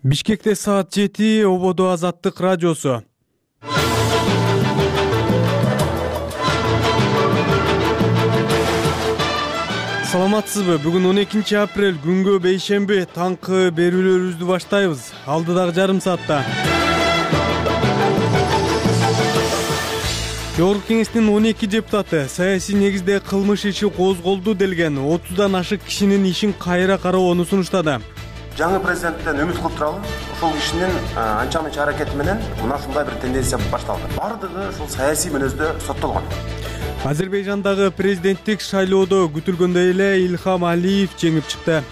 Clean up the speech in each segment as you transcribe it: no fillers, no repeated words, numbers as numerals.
Бишкекте саат 7, ободо Азаттык радиосу. Саламатсызбы? Бүгүн 12 апрель, күнгө бейшемби, таңкы берүүлөрүбүздү баштайбыз. Алдыдагы жарым саатта. Жогорку кеңештин 12 депутаты саясий негизде кылмыш иши козголду делген 30дан ашык кишинин ишин кайра кароону сунуштады. Жаңы президенттен үмүт кылып туралы, ошол кишинин анча мынча аракети менен мына ушундай бир тенденция башталды. Бардыгы ушул саясий мүнөздө соттолгон. Азербайжандагы президенттик шайлоодо күтүлгөндөй эле Ильхам Алиев жеңип чыкты.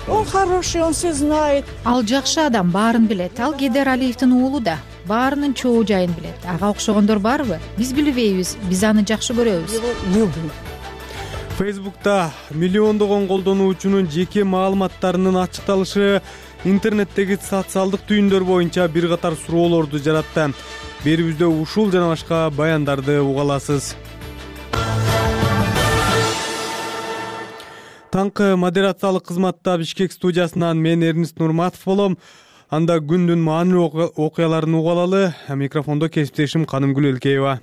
Он хороший, он все знает. Ал жакшы адам, баарын билет. Ал Гейдар Алиевдин уулу да. Баарынын чоо жайын билет. Ага окшогондор барбы? Биз билбейбиз. Биз аны жакшы көрөбүз. Его любим. Фейсбукта миллиондогон колдонуучунун жеке маалыматтарынын ачыкталышы интернеттеги социалдык түйүндөр боюнча бир катар суроолорду жаратты. Берүүбүздө ушул жана башка баяндарды уга аласыз. Таңкы модерациялык кызматта Бишкек студиясынан мен Эрнист Нурматов болом. Анда күндүн маанилүү окуяларын уга алалы. Микрофондо кесиптешим Канымгүл Элкеева.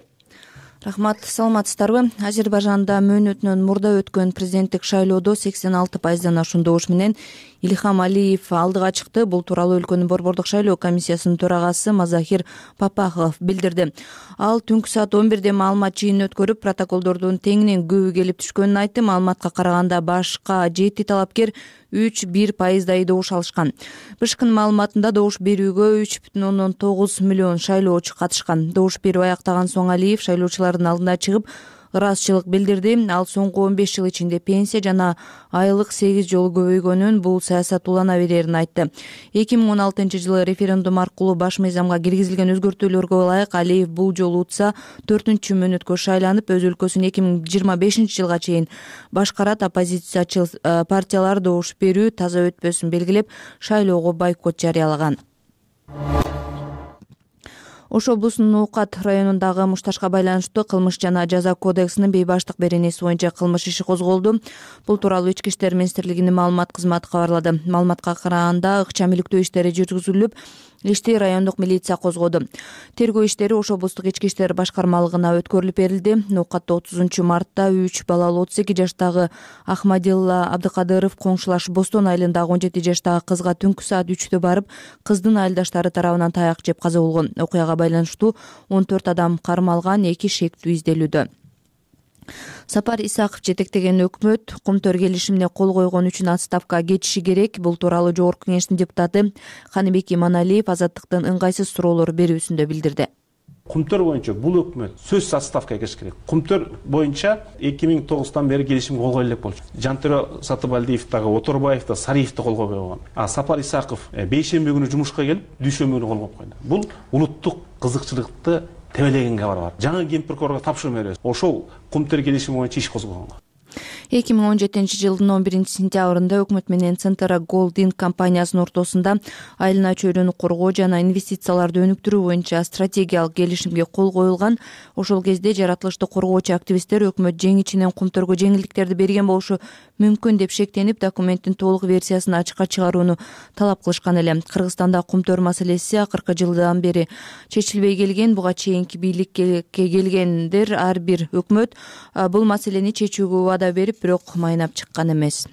Рахмат, саламатсыздарбы? Азербайжанда мөөнөтүнөн мурда өткөн президенттик шайлоодо 86%дан ашуун добуш менен Ильхам Алиев алдыга чыкты. Бул тууралуу өлкөнүн борбордук шайлоо комиссиясынын төрагасы Мазахир Папахов билдирди. Ал түнкү саат 11де маалымат жыйынын өткөрүп, протоколдордун теңинен көбү келип түшкөнүн айтты. Маалыматка караганда башка 7 талапкер 3,1%дай добуш алышкан. БШКнын маалыматында добуш берүүгө 3,9 миллион шайлоочу катышкан. Добуш берүү аяктаган соң Алиев шайлоочулардын алдына чыгып, ыраазычылык билдирди. Ал соңку 15 жыл ичинде пенсия жана айлык 8 жолу көбөйгөнүн, бул саясат улана берерин айтты. 2016-жылы референдум аркылуу баш мыйзамга киргизилген өзгөртүүлөргө ылайык Алиев бул жолу утса 4-чү мөөнөткө шайланып, өз өлкөсүн 2025-жылга чейин башкарат. Оппозициячыл партиялар добуш берүү таза өтпөсүн белгилеп, шайлоого бойкот жарыялаган. Ош облусунун Ноокат районундагы мушташка байланыштуу кылмыш жана жаза кодексинин бейбаштык беренеси боюнча кылмыш иши козголду. Бул тууралуу Ички иштер министрлигинин маалымат кызматы кабарлады. Маалыматка караганда ыкчам иликтөө иштери жүргүзүлүп, ишти райондук милиция козгоду. Тергөө иштери Ош облустук ички иштер башкармалыгына өткөрүлүп берилди. Ноокатта 30-мартта 3 балалуу 32 жаштагы Ахмадилла Абдыкадыров коңшулаш Бостон айылындагы 17 жаштагы кызга түнкү саат 3-тө барып, кыздын айылдаштары тарабынан таяк жеп каза болгон. Окуяга байланыштуу 14 адам кармалган, 2 шектүү изделүүдө. Сапар Исаков жетектеген өкмөт Кумтөр келишимине кол койгон үчүн отставкага кетиши керек. Бул тууралуу Жогорку кеңештин депутаты Каныбек Иманалиев Азаттыктын ыңгайсыз суроолор берүүсүндө билдирди. Кумтөр боюнча бул өкмөт сөзсүз отставкага кетиш керек. Кумтөр боюнча 2009-тан бери келишимге кол коюла элек болчу. Жантөрө Сатыбалдиев дагы, Оторбаев да, Сариев да кол койбой койгон. Сапар Исаков бейшемби күнү жумушка келип, дүйшөмбү күнү кол коюп койду. Бул улуттук кызыкчылыкты тебелеген кабар бар. Жаңы ген прокурорго тапшырма беребиз. Ошол Кумтөр келишими боюнча иш козгогонго. 2017-жылдын 11-сентябрында өкмөт менен Центра Голдинг компаниясынын ортосунда айылына чөйрөнү коргоо жана инвестицияларды өнүктүрүү боюнча стратегиялык келишимге кол коюлган. Ошол кезде жаратылышты коргоочу активисттер өкмөт жеңичинен Кумтөргө жеңилдиктерди берген болушу мүмкүн деп шектенип, документтин толук версиясын ачыкка чыгарууну талап кылышкан эле. Кыргызстанда Кумтөр маселеси акыркы жылдан бери чечилбей келген. Буга чейинки бийликке келгендер ар бир өкмөт бул маселени чечүүгө убада берип, бирок майнап чыккан эмес.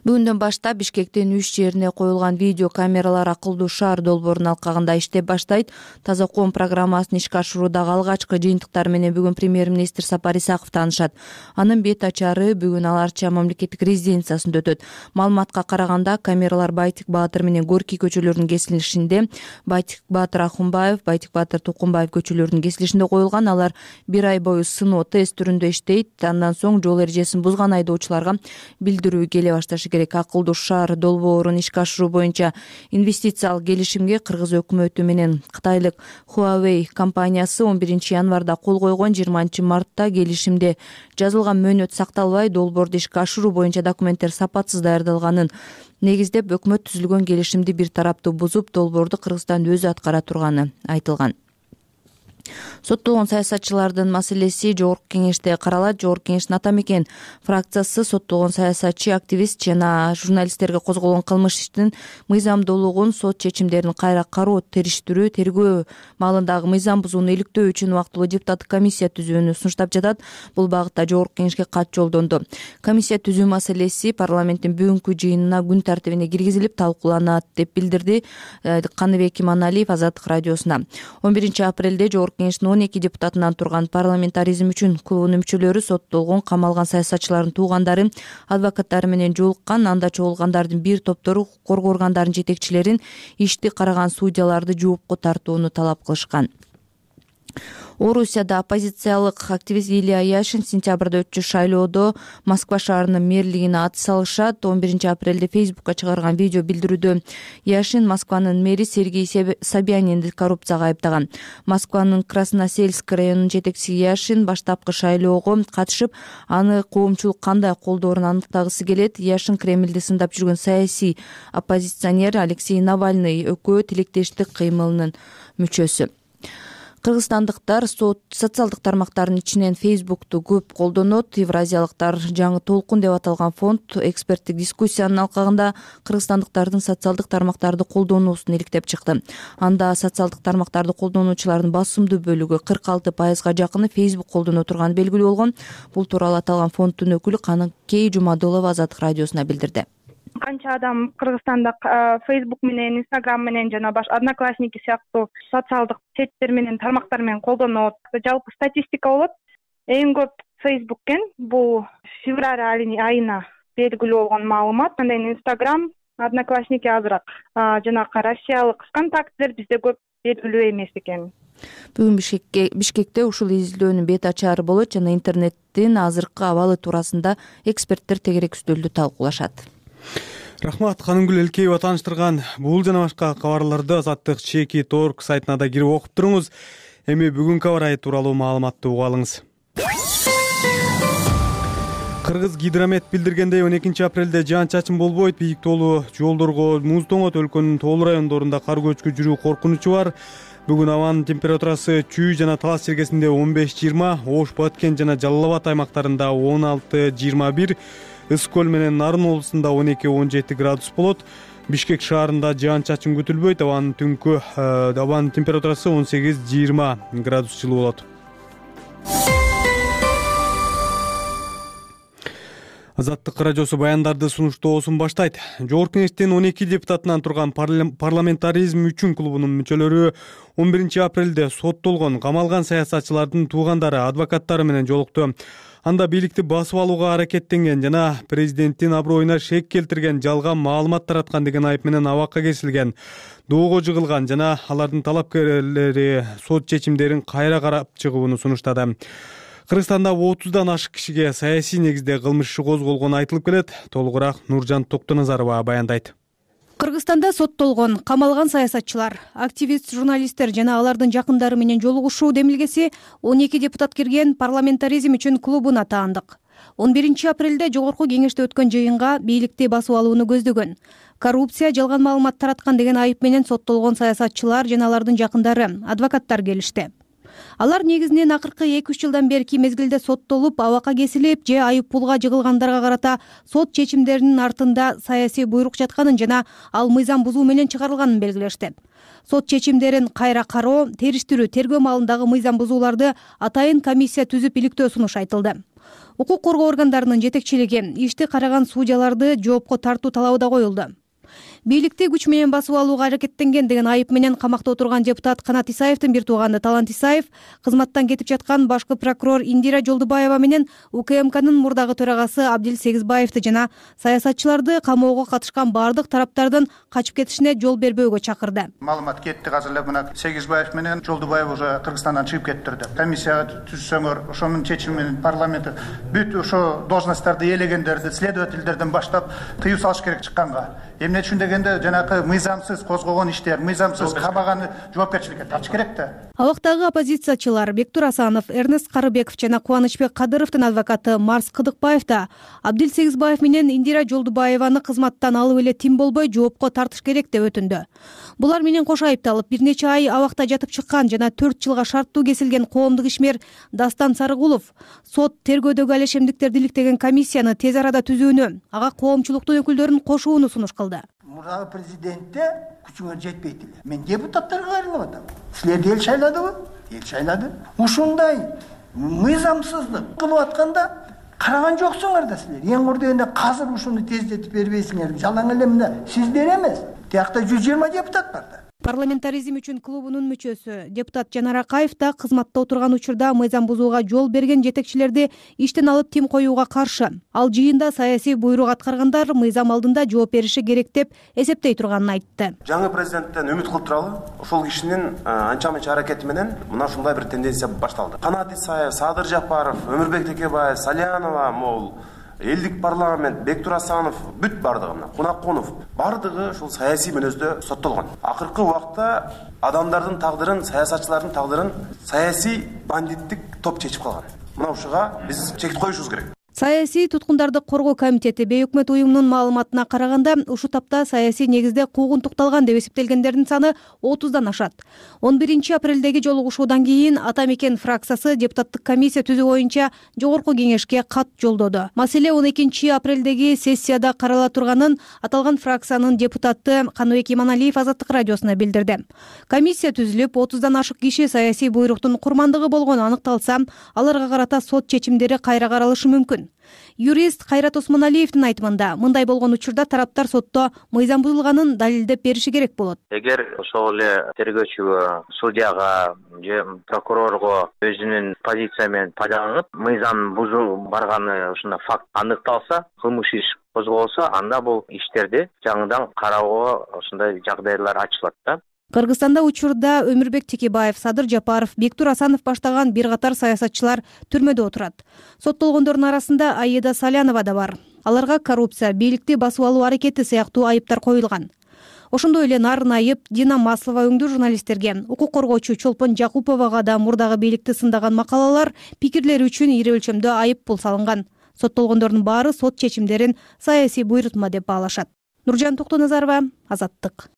Бүгүндөн баштап Бишкектин 3 жерине коюлган видео камералар акылдуу шаар долбоорунун алкагында иштеп баштайт. Таза ком программасын ишке ашыруудагы алгачкы жыйынтыктар менен бүгүн премьер-министр Сапар Исаков таанышат. Анын бет ачары бүгүн Ал Арча мамлекеттик резиденциясында өтөт. Маалыматка караганда камералар Байтик Баатыр менен Горький көчөлөрүнүн кесилишинде, Байтик Баатыр Ахунбаев, Байтик Баатыр Тукумбаев көчөлөрүнүн кесилишинде коюлган. Алар 1 ай бою сыноо тест түрүндө иштейт. Андан соң жол эрежесин бузган айдоочуларга билдирүү келе башташы керек. Акылдуу шаар долбоорун ишке ашыруу боюнча инвестициялык келишимге Кыргыз өкмөтү менен Кытайлык Huawei компаниясы 11 январда кол койгон. 20 мартта келишимде жазылган мөөнөт сакталбай, долбоорду ишке ашыруу боюнча документтер сапатсыз даярдалганын негиздеп, өкмөт түзүлгөн келишимди бир тараптуу бузуп, долбоорду Кыргызстан өзү аткара турганы айтылган. Соттолгон саясатчылардын маселеси Жогорку Кеңеште каралат. Жогорку Кеңештин ата мекен фракциясы соттолгон саясатчы, активист жана журналисттерге козголгон кылмыш иштин мыйзамдуулугун, сот чечимдерин кайра кароо, териштирүү, тергөө маалындагы мыйзам бузууну иликтөө үчүн убактылуу депутаттык комиссия түзүүнү сунуштап жатат. Бул багытта Жогорку Кеңешке кат жолдонду. Комиссия түзүү маселеси парламенттин бүгүнкү жыйынына күн тартибине киргизилип талкууланат деп билдирди Каныбек Иманалиев Азаттык радиосуна. 11 апрелде Жогорку Кеңештин 12 депутатынан турган парламентаризм үчүн клубунун мүчөлөрү соттолгон, камалган саясатчылардын туугандары, адвокаттары менен жолуккан. Анда чогулгандардын бир топтору коргоо органдарынын жетекчилерин, ишти караган судьяларды жоопко тартууну талап кылышкан. Орусияда оппозициялык активист Илья Яшин сентябрда өтчү шайлоодо Москва шаарынын мэрлигине ат салышат. 11 апрелде Фейсбукка чыгарган видео билдирүүдө Яшин Москванын мэри Сергей Собянинди коррупцияга айыптаган. Москванын Красносельск районунун жетекчиси Яшин баштапкы шайлоого катышып, аны коомчулук кандай колдоорун аныктагысы келет. Яшин Кремлди сындап жүргөн саясий оппозиционер Алексей Навальный экөө тилектештик кыймылынын мүчөсү. Кыргызстандыктар социалдык тармактардын ичинен Фейсбукту көп колдонот. Евразиялыктар жаңы толкун деп аталган фонд эксперттик дискуссиянын алкагында кыргызстандыктардын социалдык тармактарды колдонуусун иликтеп чыкты. Анда социалдык тармактарды колдонуучулардын басымдуу бөлүгү 46%га жакыны Фейсбук колдоно турганы белгилүү болгон. Бул тууралуу аталган фонддун өкүлү Каныкей Жумадылова Азаттык радиосуна билдирди. Канча адам Кыргызстанда Facebook менен, Instagram менен жана башка Одноклассники сыяктуу социалдык сеттер менен, тармактар менен колдонот. Жалпы статистика болот. Эң көп Facebook экен. Бул февраль айына белгилүү болгон маалымат. Андан кийин Instagram, Одноклассники азыраак. Жанагы Россиялык ВКонтактелер бизде көп белгилүү эмес экен. Бүгүн Бишкекте ушул изилдөөнүн бет ачары болот жана интернеттин азыркы абалы туурасында эксперттер тегерек үстөлдү талкуулашат. Рахмат, Канымгүл Элкеева тааныштырган бул жана башка кабарларды Азаттык Чеки.org сайтына да кирип окуп туруңуз. Эми бүгүнкү аба ырайы тууралуу маалыматты угуп алыңыз. Кыргыз гидромет билдиргендей 12 апрелде жаан-чачын болбойт. Бийик тоолуу жолдорго муз тоңот, өлкөнүн тоолуу райондорунда кар көчкү жүрүү коркунучу бар. Бүгүн абанын температурасы Чүй жана Талас чергесинде 15-20, Ош, Баткен жана Жалал Абад аймактарында 16-21, Ыскөл менен Нарын облусунда 12-17 градус болот. Бишкек шаарында жаан-чачын күтүлбөйт. Абанын түнкү абанын температурасы 18-20 градус жылуу болот. Азаттык радиосу баяндарды сунуштоосун баштайт. Жогорку Кеңештин 12 депутатынан турган парламентаризм үчүн клубунун мүчөлөрү 11 апрелде соттолгон, камалган саясатчылардын туугандары, адвокаттары менен жолукту. Анда бийликти басып алууга аракеттенген жана президенттин аброюна шек келтирген, жалган маалымат тараткан деген айып менен абакка кесилген, доого жыгылган жана алардын талапкерлери сот чечимдерин кайра карап чыгууну сунуштады. Кыргызстанда 30дан ашык кишиге саясий негизде кылмыш иши козголгону айтылып келет. Толугураак Нуржан Токтоназарова баяндайт. Кыргызстанда соттолгон, камалган саясатчылар, активист, журналисттер жана алардын жакындары менен жолугушуу демилгеси 12 депутат кирген парламентаризм үчүн клубуна таандык. 11 апрелде Жогорку Кеңеште өткөн жыйынга бийликти басып алууну көздөгөн, коррупция, жалган маалымат тараткан деген айып менен соттолгон саясатчылар жана алардын жакындары, адвокаттар келишти. Алар негизинен акыркы 2-3 жылдан берки мезгилде соттолуп, абакка кесилип же айып пулга жыгылгандарга карата сот чечимдеринин артында саясий буйрук жатканын жана ал мыйзам бузуу менен чыгарылганын белгилешти. Сот чечимдерин кайра кароо, териштирүү, тергөө маалындагы мыйзам бузууларды атайын комиссия түзүп иликтөө сунуш айтылды. Укук коргоо органдарынын жетекчилиги ишти караган судьяларды жоопко тартуу талабы да коюлду. Бийликти күч менен басып алууга аракеттенген деген айып менен камакта отурган депутат Канат Исаевдин бир тууганы Талант Исаев кызматтан кетип жаткан башкы прокурор Индира Жолдубаева менен УКМКнын мурдагы төрагасы Абдил Сегизбаевди жана саясатчыларды камоого катышкан бардык тараптардын качып кетишине жол бербөөгө чакырды. Маалымат кетти, азыр эле мына Сегизбаев менен Жолдубаев уже Кыргызстандан чыгып кеттирди. Комиссияга түзсөңөр, ошонун чечими менен парламент бүт ошо должностторду ээлегендерди, следовательдерден баштап тыюу салыш керек чыкканга. Эмне үчүн дегенде жанакы мыйзамсыз козгогон иштер, мыйзамсыз кабаганы жоопкерчиликке тартыш керек да. Абактагы оппозициячылар Бектур Асанов, Эрнест Карыбеков жана Кубанычбек Кадыровдун адвокаты Марс Кыдыкбаев да Абдил Сегизбаев менен Индира Жолдубаеваны кызматтан алып эле тим болбой жоопко тартыш керек деп өтүндү. Булар менен кошо айыпталып бир нече ай абакта жатып чыккан жана 4 жылга шарттуу кесилген коомдук ишмер Дастан Сарыгулов сот тергөөдөгү ал ишемдиктерди иликтеген комиссияны тез арада түзүүнү, ага коомчулуктун өкүлдөрүн кошууну сунуш кылды. Мурдагы президентте күчүңөр жетпейт эле. Мен депутаттарга кайрылып атам. Силерди эл шайладыбы? Эл шайлады. Ушундай мыйзамсыздык кылып атканда караган жоксуңар да силер. Эң курдегенде казыр ушуну тездетип бербейсиңер. Жалаң эле мына сиздер эмес. Тиякта 120 депутат бар да. Парламентаризм үчүн клубунун мүчөсү депутат Жанар Акаев да кызматта отурган учурда мыйзам бузууга жол берген жетекчилерди иштен алып тим коюуга каршы. Ал жыйында саясий буйрук аткаргандар мыйзам алдында жооп бериши керек деп эсептей турганын айтты. Жаңы президенттен үмүт кылып туралы, ошол кишинин анча-мынча аракети менен мына ушундай бир тенденция башталды. Канат Исаев, Садыр Жапаров, Өмүрбек Текебаев, Салянова, мол элдик парламент, Бектур Асанов бүт бардыгы, Кунакунов бардыгы ушул саясий мүнөздө соттолгон. Акыркы убакта адамдардын тагдырын, саясатчылардын тагдырын саясий бандиттик топ чечип калган. Мына ушуга биз чек коюшубуз керек. Саясий туткундарды коргоо комитети бейөкмөт уюмунун маалыматына караганда ушу тапта саясий негизде куугунтукталган деп эсептелгендердин саны 30дан ашат. 11 апрелдеги жолугушуудан кийин Ата Мекен фракциясы депутаттык комиссия түзүү боюнча жогорку кеңешке кат жолдоду. Маселе 12 апрелдеги сессияда карала турганын аталган фракциянын депутаты Каныбек Иманалиев Азаттык радиосуна билдирди. Комиссия түзүлүп 30дан ашык киши саясий буйруктун курмандыгы болгону аныкталса, аларга карата сот чечимдери кайра каралышы мүмкүн. Юрист Кайрат Осмоналиевдин айтымында, мындай болгон учурда тараптар сотто мыйзам бузулганын далилдеп бериши керек болот. Эгер ошол эле тергөөчүгө, судьяга же прокурорго өзүнүн позиция менен пайдаланып, мыйзам бузуу барганы ушундай факт аныкталса, кылмыш иш козголсо, анда бул иштерди жаңыдан кароого ушундай жагдайлар ачылат да. Кыргызстанда учурда Өмүрбек Текебаев, Садыр Жапаров, Бектур Асанов баштаган бир катар саясатчылар түрмөдө отурат. Соттолгондордун арасында Аида Салянова да бар. Аларга коррупция, бийликти басып алуу аракети сыяктуу айыптар коюлган. Ошондой эле нарын айып Дина Маслова өңдүү журналисттерге, укук коргоочу Чолпон Жакуповага да мурдагы бийликти сындаган макалалар, пикирлери үчүн ири өлчөмдө айып пул салынган. Соттолгондордун баары сот чечимдерин саясий буйрутма деп баалашат. Нуржан Токтоназарова, Азаттык.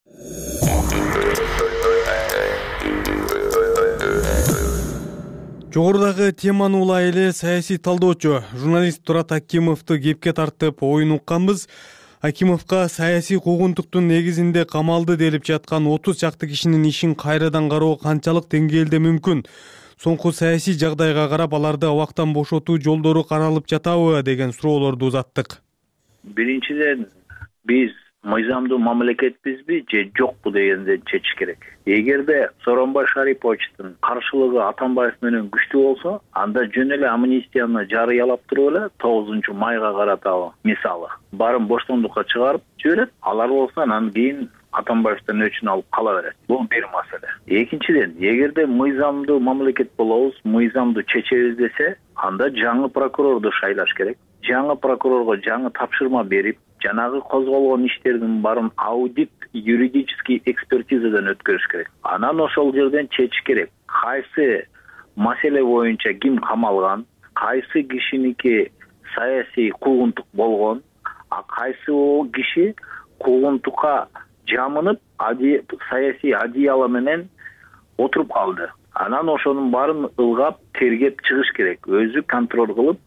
Жогорудагы теманы улай эле саясий талдоочу журналист Турат Акимовду кепке тартып оюн укканбыз. Акимовго саясий куугунтуктун негизинде камалды делип жаткан 30 чакты кишинин ишин кайрадан кароо канчалык деңгээлде мүмкүн? Соңку саясий жагдайга карап аларды абактан бошотуу жолдору каралып жатабы деген суроолорду узаттык. Биринчиден биз мыйзамдуу мамлекетпизби же жокпу дегенди чечиш керек. Эгерде Сооронбай Шариповичтин каршылыгы Атамбаев менен күчтүү болсо, анда жөн эле амнистияны жарыялап туруп эле 9-майга карата мисалы барын боштондукка чыгарып жиберет. Алар болсо анан кийин Атамбаевден өчүн алып кала берет. Бул бир маселе. Экинчиден, эгерде мыйзамдуу мамлекет болобуз, мыйзамдуу чечебиз десе, анда жаңы прокурорду шайлаш керек. Жаңы прокурорго жаңы тапшырма берип, жанагы козголгон иштердин барын аудит, юридический экспертизадан өткөрүш керек. Анан ошол жерден чечиш керек. Кайсы маселе боюнча ким камалган, кайсы кишиники саясий куугунтук болгон, а кайсы киши куугунтукка жамынып, саясий одеяло менен отуруп калды. Анан ошонун баарын ылгап, тергеп чыгыш керек. Өзү контроль кылып,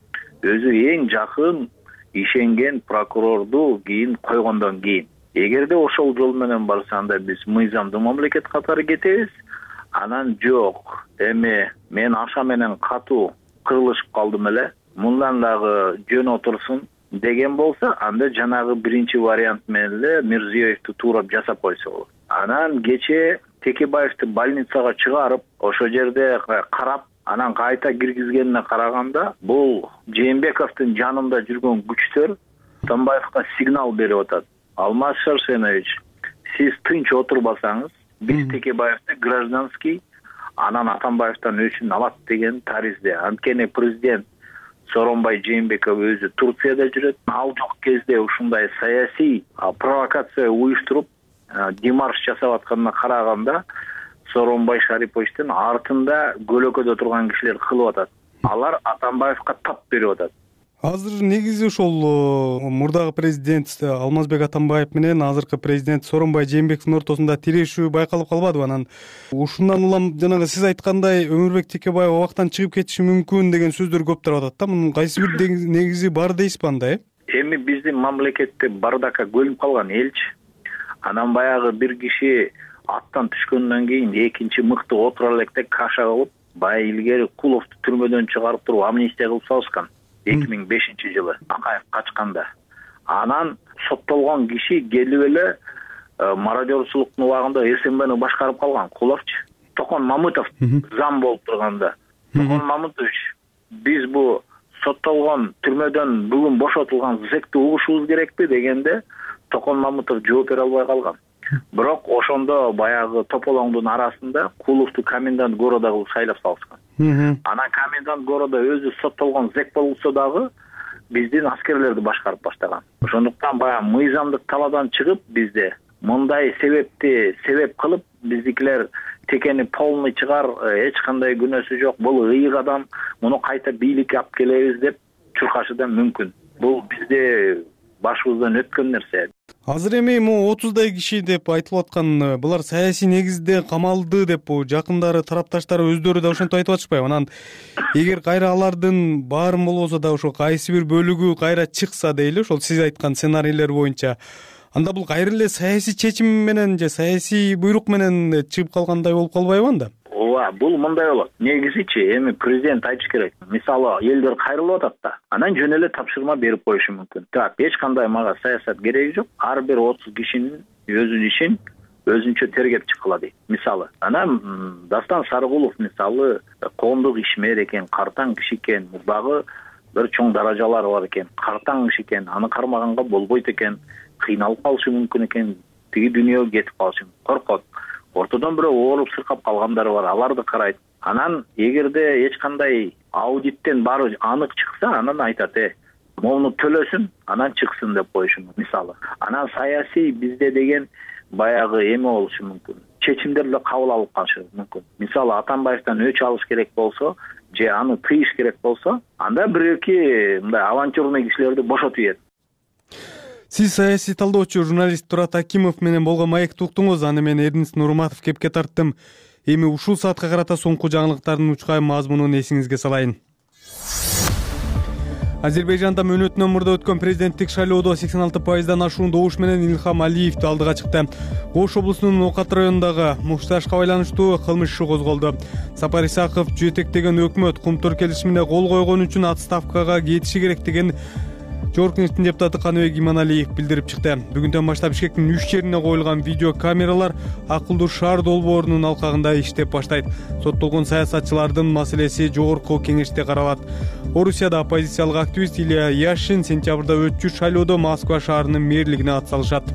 өзү эң жакын ишенген прокурорду кийин койгондон кийин. Эгерде ошол жол менен барса, анда биз мыйзамдуу мамлекет катары кетебиз. Анан жок, эми мен аша менен катуу кырылышып калдым эле, мындан дагы жөн отурсун деген болсо, анда жанагы биринчи вариант менен эле Мирзиёевди туурап жасап койсо болот. Анан кече Текебаевди больницага чыгарып, ошол жерде карап, анан кайта киргизгенине караганда, бул Жээнбековдун жанында жүргөн күчтөр Атамбаевга сигнал берип атат. Алмаз Шарсенович, сиз тынч отурбасаңыз, биз Текебаевди гражданский, анан Атамбаевден өчүн алат деген таризде. Анткени президент Сооронбай Жээнбеков өзү Турцияда жүрөт. Ал жок кезде ушундай саясий провокация уюштуруп демарш жасап атканына караганда Сооронбай Шариповичтин артында көлөкөдө турган кишилер кылып атат. Алар Атамбаевка тап берип атат. Азыр негизи ошол мурдагы президент Алмазбек Атамбаев менен азыркы президент Сооронбай Жээнбековдун ортосунда тирешүү байкалып калбадыбы? Анан ушундан улам жанагы сиз айткандай Өмүрбек Текебаев абактан чыгып кетиши мүмкүн деген сөздөр көп тарап атат да. Мунун кайсы бир негизи бар дейсизби анда? Эми биздин мамлекетте бардакка көлүнүп калган элчи. Анан баягы бир киши аттан түшкөндөн кийин экинчи мыкты отура электе каша кылып, баягы илгери Куловду түрмөдөн чыгарып туруп амнистия кылып салышкан. 2005-жылы Акаев качканда. Анан соттолгон киши келип эле мародерчулуктун убагында СМБны башкарып калган Куловчу. Токон Мамытов зам болуп турганда. Токон Мамытович, биз бу соттолгон түрмөдөн бүгүн бошотулган зекти угушубуз керекпи дегенде Токон Мамытов жооп бере албай калган. Бирок ошондо баягы тополоңдун арасында Куловду комендант города кылып шайлап салышкан. Анан комендант города өзү соттолгон зек болсо дагы биздин аскерлерди башкарып баштаган. Ошондуктан баягы мыйзамдык талаадан чыгып бизде мындай себепти себеп кылып биздикилер текени полный чыгар, эч кандай күнөөсү жок, бул ыйык адам, муну кайта бийликке алып келебиз деп чуркашы да мүмкүн. Бул бизде башыбыздан өткөн нерсе. Азыр эми 30дай киши деп айтылып аткан булар саясий негизде камалды деп жакындары тарапташтары өздөрү да ошентип айтып атышпайбы? Анан эгер кайра алардын баарын болбосо да ошо кайсы бир бөлүгү кайра чыкса дейли, ошол сиз айткан сценарийлер боюнча, анда бул кайра эле саясий чечим менен же саясий буйрук менен чыгып калгандай болуп калбайбы анда? Ооба, бул мындай болот. Негизичи эми президент айтыш керек. Мисалы, элдер кайрылып атат да, анан жөн эле тапшырма берип коюшу мүмкүн. Так, эч кандай мага саясат кереги жок. Ар бир 30 кишинин өзүнүн ишин өзүнчө тергеп чыккыла дейт. Мисалы, анан Дастан Сарыгулов мисалы коомдук ишмер экен, картаң киши экен, дагы бир чоң даражалары бар экен, картаң киши экен, аны кармаганга болбойт экен, кыйналып калышы мүмкүн экен, тиги дүйнөгө кетип калышы мүмкүн. Коркот. Ортодон бирөө ооруп сыркап калгандары бар, аларды карайт. Анан эгерде эч кандай аудиттен баары анык чыкса, анан айтат, моуну төлөсүн, анан чыксын деп коюшу мүмкүн, мисалы. Анан саясий бизде деген баягы эме болушу мүмкүн. Чечимдер эле кабыл алып калышы мүмкүн. Мисалы, Атамбаевден өч алыш керек болсо, же аны тыйыш керек болсо, анда бир-эки мындай авантюрный кишилерди бошотуп ийет. Сиз саясий талдоочу журналист Турат Акимов менен болгон маекти уктуңуз. Аны мен Эрдинис Нурматов кепке тарттым. Эми ушул саатка карата соңку жаңылыктардын учкай мазмунун эсиңизге салайын. Азербайжанда мөөнөтүнөн мурда өткөн президенттик шайлоодо 86% ашуун добуш менен Илхам Алиев алдыга чыкты. Ош облусунун Окат районундагы мушташка байланыштуу кылмыш иши козголду. Сапар Исаков жетектеген өкмөт кумтөр келишимине кол койгон үчүн отставкага кетиши керек деген Жогорку депутаты Каныбек Иманалиев билдирип чыкты. Бүгүндөн баштап Бишкектин 3 жерине коюлган видео камералар акылдуу шаар долбоорунун алкагында иштеп баштайт. Соттолгон саясатчылардын маселеси жогорку кеңеште каралат. Орусияда оппозициялык активист Илья Яшин сентябрда өтчү шайлоодо Москва шаарынын мэрлигине атсалышат.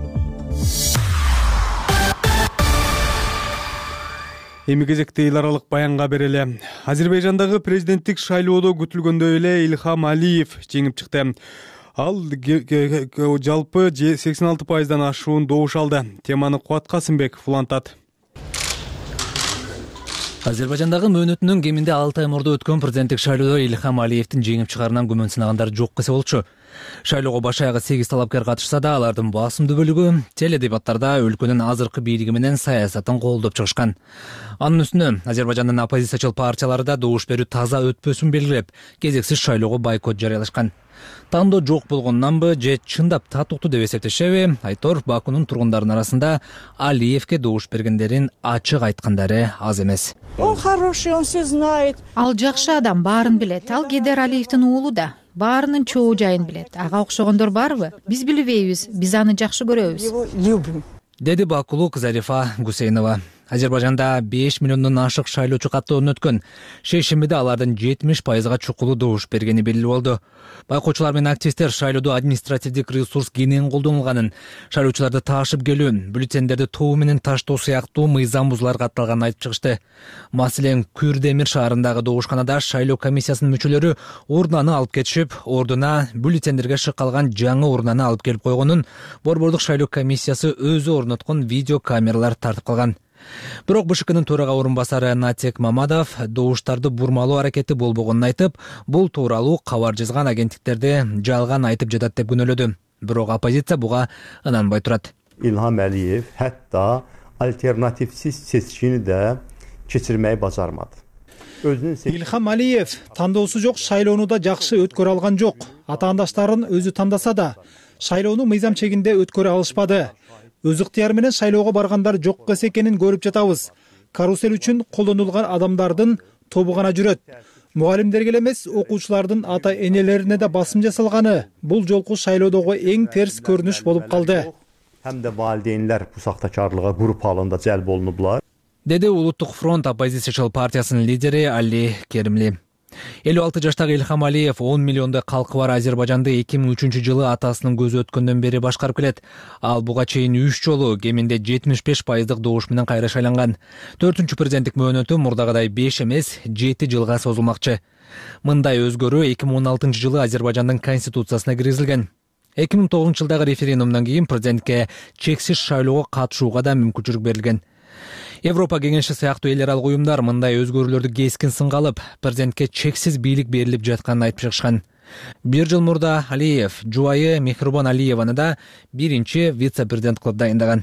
Эми кезекте эл аралык баянга берели. Азербайжандагы президенттик шайлоодо күтүлгөндөй эле Илхам Алиев жеңип чыкты. Ал жалпы 86%дан ашуун добуш алды. Теманы Кубат Касымбеков улантат. Азербайжандагы мөөнөтүнүн кеминде 6 ай мурда өткөн президенттик шайлоодо Илхам Алиевдин жеңип чыгарынан күмөн сынагандар жок десе болчу. Шайлоого баш аягы 8 талапкер катышса да, алардын басымдуу бөлүгү теледебаттарда өлкөнүн азыркы бийлиги менен саясатын колдоп чыгышкан. Анын үстүнө Азербайжандын оппозициячыл партиялары да добуш берүү таза өтпөсүн белгилеп, кезексиз шайлоого бойкот жарыялашкан. Тандоо жок болгондонбу же чындап татыктуу деп эсептешеби? Айтор Бакунун тургундарынын арасында Алиевке добуш бергендерин ачык айткандары аз эмес. Он хороший, он все знает. Ал жакшы адам, баарын билет. Ал Гейдар Алиевдин уулу да. Баарынын чоо жайын билет. Ага окшогондор барбы? Биз билбейбиз, биз аны жакшы көрөбүз. Его любим. Деди бакулук Зарифа Гусейнова. Азербайжанда 5 миллиондон ашык шайлоочу каттоодон өткөн. Шейшембиде алардын 70%га чукулуу добуш бергени белгилүү болду. Байкоочулар менен активисттер шайлоодо административдик ресурс кенен колдонулганын, шайлоочуларды таашып келүү, бюллетендерди тобу менен таштоо сыяктуу мыйзам бузуулар катталганын айтып чыгышты. Маселен, Күрдемир шаарындагы добушканада шайлоо комиссиясынын мүчөлөрү урнаны алып кетишип, ордуна бюллетендерге шыккалган жаңы урнаны алып келип койгонун Борбордук шайлоо комиссиясы өзү орноткон видео камералар тартып калган. Бирок БШКнын төрага орун басары Натек Мамадов добуштарды бурмалоо аракети болбогонун айтып, бул тууралуу кабар жазган агенттиктерди жалган айтып жатат деп күнөөлөдү. Бирок оппозиция буга ынанбай турат. İlham Əliyev hətta alternativsiz seçkini də keçirməyi bacarmadı. Илхам Алиев тандоосу жок шайлоону да жакшы өткөрө алган жок. Атаандаштарын өзү тандаса да, шайлоону мыйзам чегинде өткөрө алышпады. Өз ыктыяры менен шайлоого баргандар жок экенин көрүп жатабыз. Карусель үчүн колдонулган адамдардын тобу гана жүрөт. Мугалимдерге эле эмес, окуучулардын ата-энелерине да басым жасалганы бул жолку шайлоодогу эң терс көрүнүш болуп калды. Həm də valideynlər bu saxtakarlığa qrup halında cəlb olunublar. Деди Улуттук фронт оппозициячыл партиясынын лидери Али Керимли. 56 жаштагы Илхам Алиев 10 миллиондой калкы бар Азербайжанды 2003-жылы атасынын көзү өткөндөн бери башкарып келет. Ал буга чейин 3 жолу кеминде 75% добуш менен кайра шайланган. 4-үнчү президенттик мөөнөтү мурдагыдай 5 эмес 7 жылга созулмакчы. Мындай өзгөрүү 2016-жылы Азербайжандын конституциясына киргизилген. 2009-жылдагы референдумдан кийин президентке чексиз шайлоого катышууга да мүмкүнчүлүк берилген. Европа кеңеши сыяктуу эл аралык уюмдар мындай өзгөрүүлөрдү кескин сынга алып, президентке чексиз бийлик берилип жатканын айтып чыгышкан. Бир жыл мурда Алиев жубайы Мехрибон Алиеваны да биринчи вице-президент кылып дайындаган.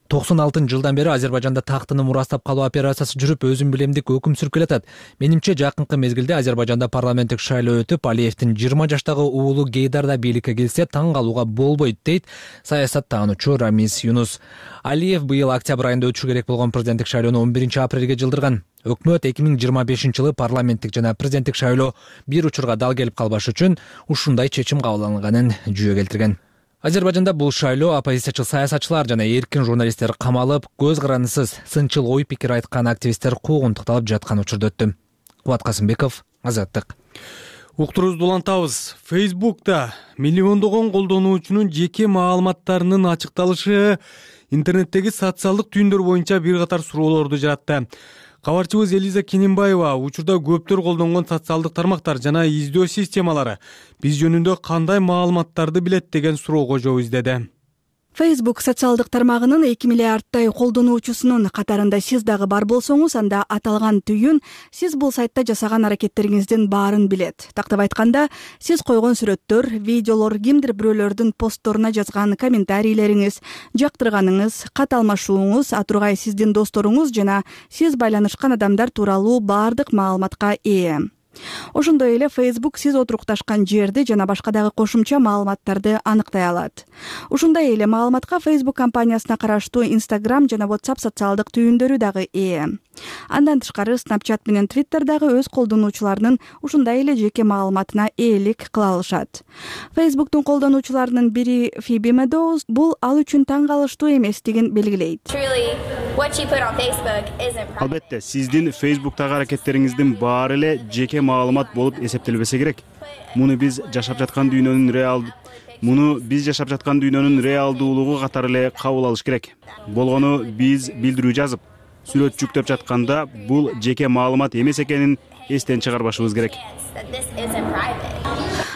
96-жылдан бери Азербайжанда тактыны мурастап калуу операциясы жүрүп, өзүн билемдик өкүм сүрүп келатат. Менимче жакынкы мезгилде Азербайжанда парламенттик шайлоо өтүп, Алиевдин 20 жаштагы уулу Гейдар да бийликке келсе таң калууга болбойт дейт саясаттануучу Рамиз Юнус. Алиев быйыл октябрь айында өтүшү керек болгон президенттик шайлоону 11-апрелге жылдырган. Өкмөт 2025-жылы парламенттик жана президенттик шайлоо бир учурга дал келип калбаш үчүн ушундай чечим кабыл алынганын жүйө келтирген. Азербайжанда бул шайлоо оппозициячыл саясатчылар жана эркин журналисттер камалып, көз карандысыз сынчыл ой пикир айткан активисттер куугунтукталып жаткан учурда өттү. Кубат Касымбеков, Азаттык. Уктурубузду улантабыз. Facebook'та миллиондогон колдонуучунун жеке маалыматтарынын ачыкталышы интернеттеги социалдык түйүндөр боюнча бир катар суроолорду жаратты. Кабарчыбыз Элиза Кененбаева учурда көптөр колдонгон социалдык тармактар жана издөө системалары биз жөнүндө кандай маалыматтарды билет деген суроого жооп издеди. Facebook социалдык тармагынын 2 миллиарддай колдонуучусунун катарында сиз дагы бар болсоңуз, анда аталган түйүн сиз бул сайтта жасаган аракеттериңиздин баарын билет. Тактап айтканда, сиз койгон сүрөттөр, видеолор, кимдир бирөөлөрдүн постторуна жазган комментарийлериңиз, жактырганыңыз, кат алмашууңуз, атургай сиздин досторуңуз жана сиз байланышкан адамдар тууралуу баардык маалыматка ээ. Ошондой эле Facebook сиз отурукташкан жерди жана башка дагы кошумча маалыматтарды аныктай алат. Ушундай эле маалыматка Facebook компаниясына караштуу Instagram жана WhatsApp социалдык түйүндөрү дагы ээ. Андан тышкары Snapchat менен Twitter дагы өз колдонуучуларынын ушундай эле жеке маалыматына ээлик кыла алышат. Facebook'тун колдонуучуларынын бири Phoebe Meadows бул ал үчүн таң калыштуу эместигин белгилейт. Албетте, сиздин Facebook'тагы аракеттериңиздин баары эле жеке маалымат болуп эсептелбесе керек. Муну биз жашап жаткан дүйнөнүн реалдуулугу катары эле кабыл алыш керек. Болгону биз билдирүү жазып, сүрөт жүктөп жатканда бул жеке маалымат эмес экенин эстен чыгарбашыбыз керек.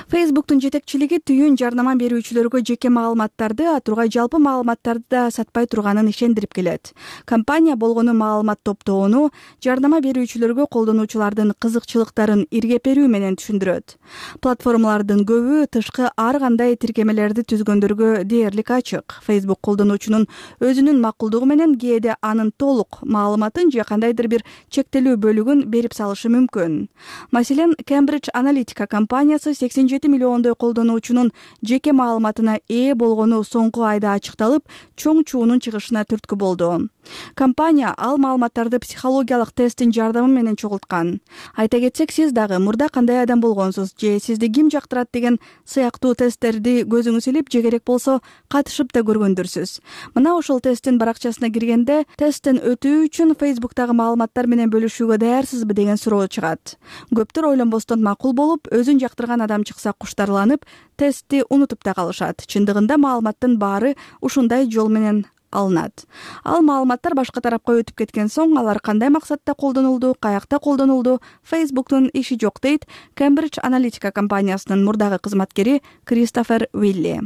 Facebook'тун жетекчилиги түйүн жарнама берүүчүлөргө жеке маалыматтарды, атургай жалпы маалыматтарды да сатпай турганын ишендирип келет. Компания болгону маалымат топтоону жарнама берүүчүлөргө колдонуучулардын кызыкчылыктарын иргеп берүү менен түшүндүрөт. Платформалардын көбү тышкы ар кандай тиркемелерди түзгөндөргө дээрлик ачык. Facebook колдонуучунун өзүнүн макулдугу менен кээде анын толук маалыматын же кандайдыр бир чектелүү бөлүгүн берип салышы мүмкүн. Маселен, Cambridge Analytica компаниясы 87 17 миллиондой колдонуучунун жеке маалыматына ээ болгону соңку айда ачыкталып, чоң чуунун чыгышына түрткү болду. Компания ал маалыматтарды психологиялык тесттин жардамы менен чогулткан. Айта кетсек, сиз дагы мурда кандай адам болгонсуз же сизди ким жактырат деген сыяктуу тесттерди көзүңүз илип, же керек болсо катышып да көргөндүрсүз. Мына ошол тесттин баракчасына киргенде, тесттен өтүү үчүн Facebook'тагы маалыматтар менен бөлүшүүгө даярсызбы деген суроо чыгат. Көптөр ойлонбостон макул болуп, өзүн жактырган адам чыкса куштарланып, тестти унутуп да калышат. Чындыгында маалыматтын баары ушундай жол менен алынат. Ал маалыматтар башка тарапка өтүп кеткен соң, алар кандай максатта колдонулду, каякта колдонулду, Facebook'тун иши жок дейт Cambridge Analytica компаниясынын мурдагы кызматкери Кристофер Вилли.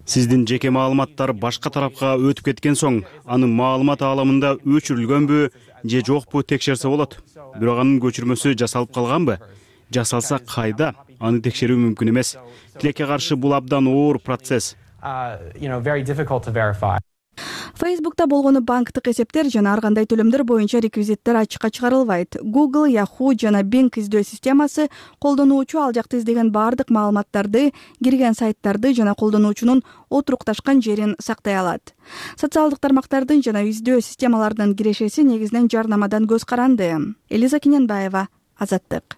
Сиздин жеке маалыматтар башка тарапка өтүп кеткен соң, аны маалымат ааламында өчүрүлгөнбү же жокпу текшерсе болот. Бирок анын көчүрмөсү жасалып калганбы? Жасалса кайда? Аны текшерүү мүмкүн эмес. Тилекке каршы бул абдан оор процесс. Facebook'та болгону банктык эсептер жана ар кандай төлөмдөр боюнча реквизиттер ачыкка чыгарылбайт. Google, Yahoo жана Bing издөө системасы колдонуучу ал жакта издеген баардык маалыматтарды, кирген сайттарды жана колдонуучунун отурукташкан жерин сактай алат. Социалдык тармактардын жана издөө системаларынын кирешеси негизинен жарнамадан көз каранды. Элиза Кененбаева, Азаттык.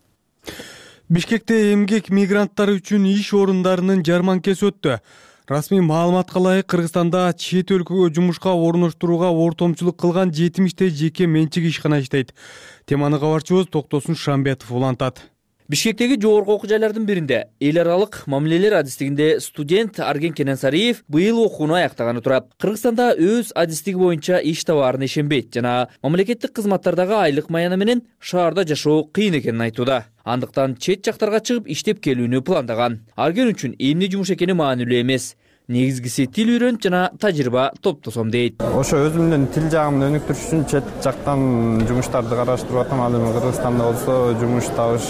Бишкекте эмгек мигранттары үчүн иш орундарынын жарманкеси өттү. Расмий маалыматка ылайык, Кыргызстанда чет өлкөгө жумушка орноштурууга ортомчулук кылган 70 жеке менчик ишкана иштейт. Теманы кабарчыбыз Токтосун Шамбетов улантат. Бишкектеги жогорку окуу жайлардын биринде эл аралык мамилелер адистигинде студент Арген Кененсариев быйыл окууну аяктаганы турат. Кыргызстанда өз адистиги боюнча иш табаарына ишенбейт жана мамлекеттик кызматтардагы айлык маяны менен шаарда жашоо кыйын экенин айтууда. Андыктан чет жактарга чыгып иштеп келүүнү пландаган. Арген үчүн эмне жумуш экени маанилүү эмес. Негизгиси тил үйрөнүп жана тажрыйба топтосом дейт. Ошо өзүмдүн тил жагымды өнүктүрүш үчүн чет жактан жумуштарды караштырып атам. Ал эми Кыргызстанда болсо жумуш табыш,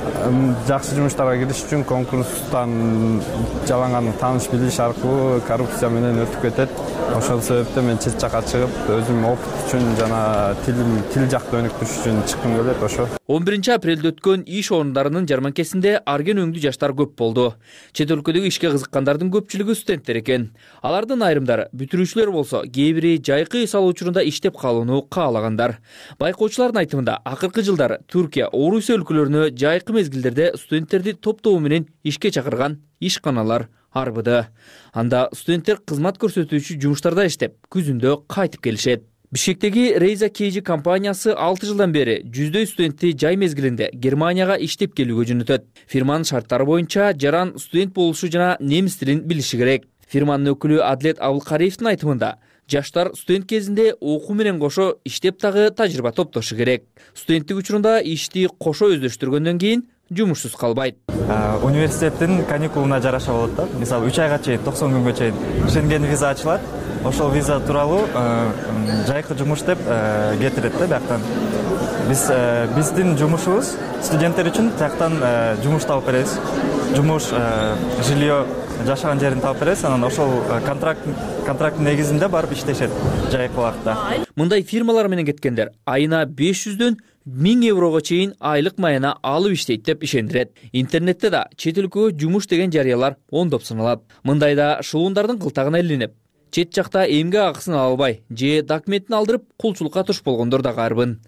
жакшы жумуштарга кириш үчүн конкурстан жаланган тааныш билиш аркылуу коррупция менен өтүп кетет. Ошол себептен мен чет жакка чыгып, өзүм опыт үчүн жана тил жакты өнүктүрүш үчүн чыккым келет. Ошо 11 апрелде өткөн иш орундарынын жарманкесинде Арген өңдүү жаштар көп болду. Чет өлкөдөгү ишке кызыккандардын көпчүлүгү студенттер экен. Алардын айрымдары бүтүрүүчүлөр болсо, кээ бири жайкы иш алуу учурунда иштеп калууну каалагандар. Байкоочулардын айтымында, акыркы жылдары Түркия, Орусия өлкөлөрүнө жайкы мезгилдерде студенттерди топтоо менен ишке чакырган ишканалар арбыды. Анда студенттер кызмат көрсөтүүчү жумуштарда иштеп, күзүндө кайтып келишет. Бишкектеги Рейза KG компаниясы 6 жылдан бери жүздөй студентти жай мезгилинде Германияга иштеп келүүгө жөнөтөт. Фирманын шарттары боюнча жаран студент болушу жана немис тилин билиши керек. Фирманын өкүлү Адлет Абылкариевдин айтымында, жаштар студент кезинде окуу менен кошо иштеп дагы тажрыйба топтошу керек. Студенттик учурунда ишти кошо өздөштүргөндөн кийин жумушсуз калбайт. Университеттин каникулуна жараша болот да. Мисалы 3 айга чейин, 90 күнгө чейин Шенген виза ачылат. Ошол виза тууралуу жайкы жумуш деп кетирет да бияктан. Биздин жумушубуз студенттер үчүн тияктан жумуш табып беребиз. Жумуш, жилье, жашаган жерин таап беребиз, анан ошол контракт негизинде барып иштешет жайкы убакытта. Мындай фирмалар менен кеткендер айына 500дөн 1000 еврого чейин айлык маяна алып иштейт деп ишендирет. Интернетте да чет өлкөгө жумуш деген жарыялар ондоп саналат. Мындайда шылуундардын кылтагына илинип, чет жакта эмгек акысын ала албай же документин алдырып кулчулукка туш болгондор да карбын.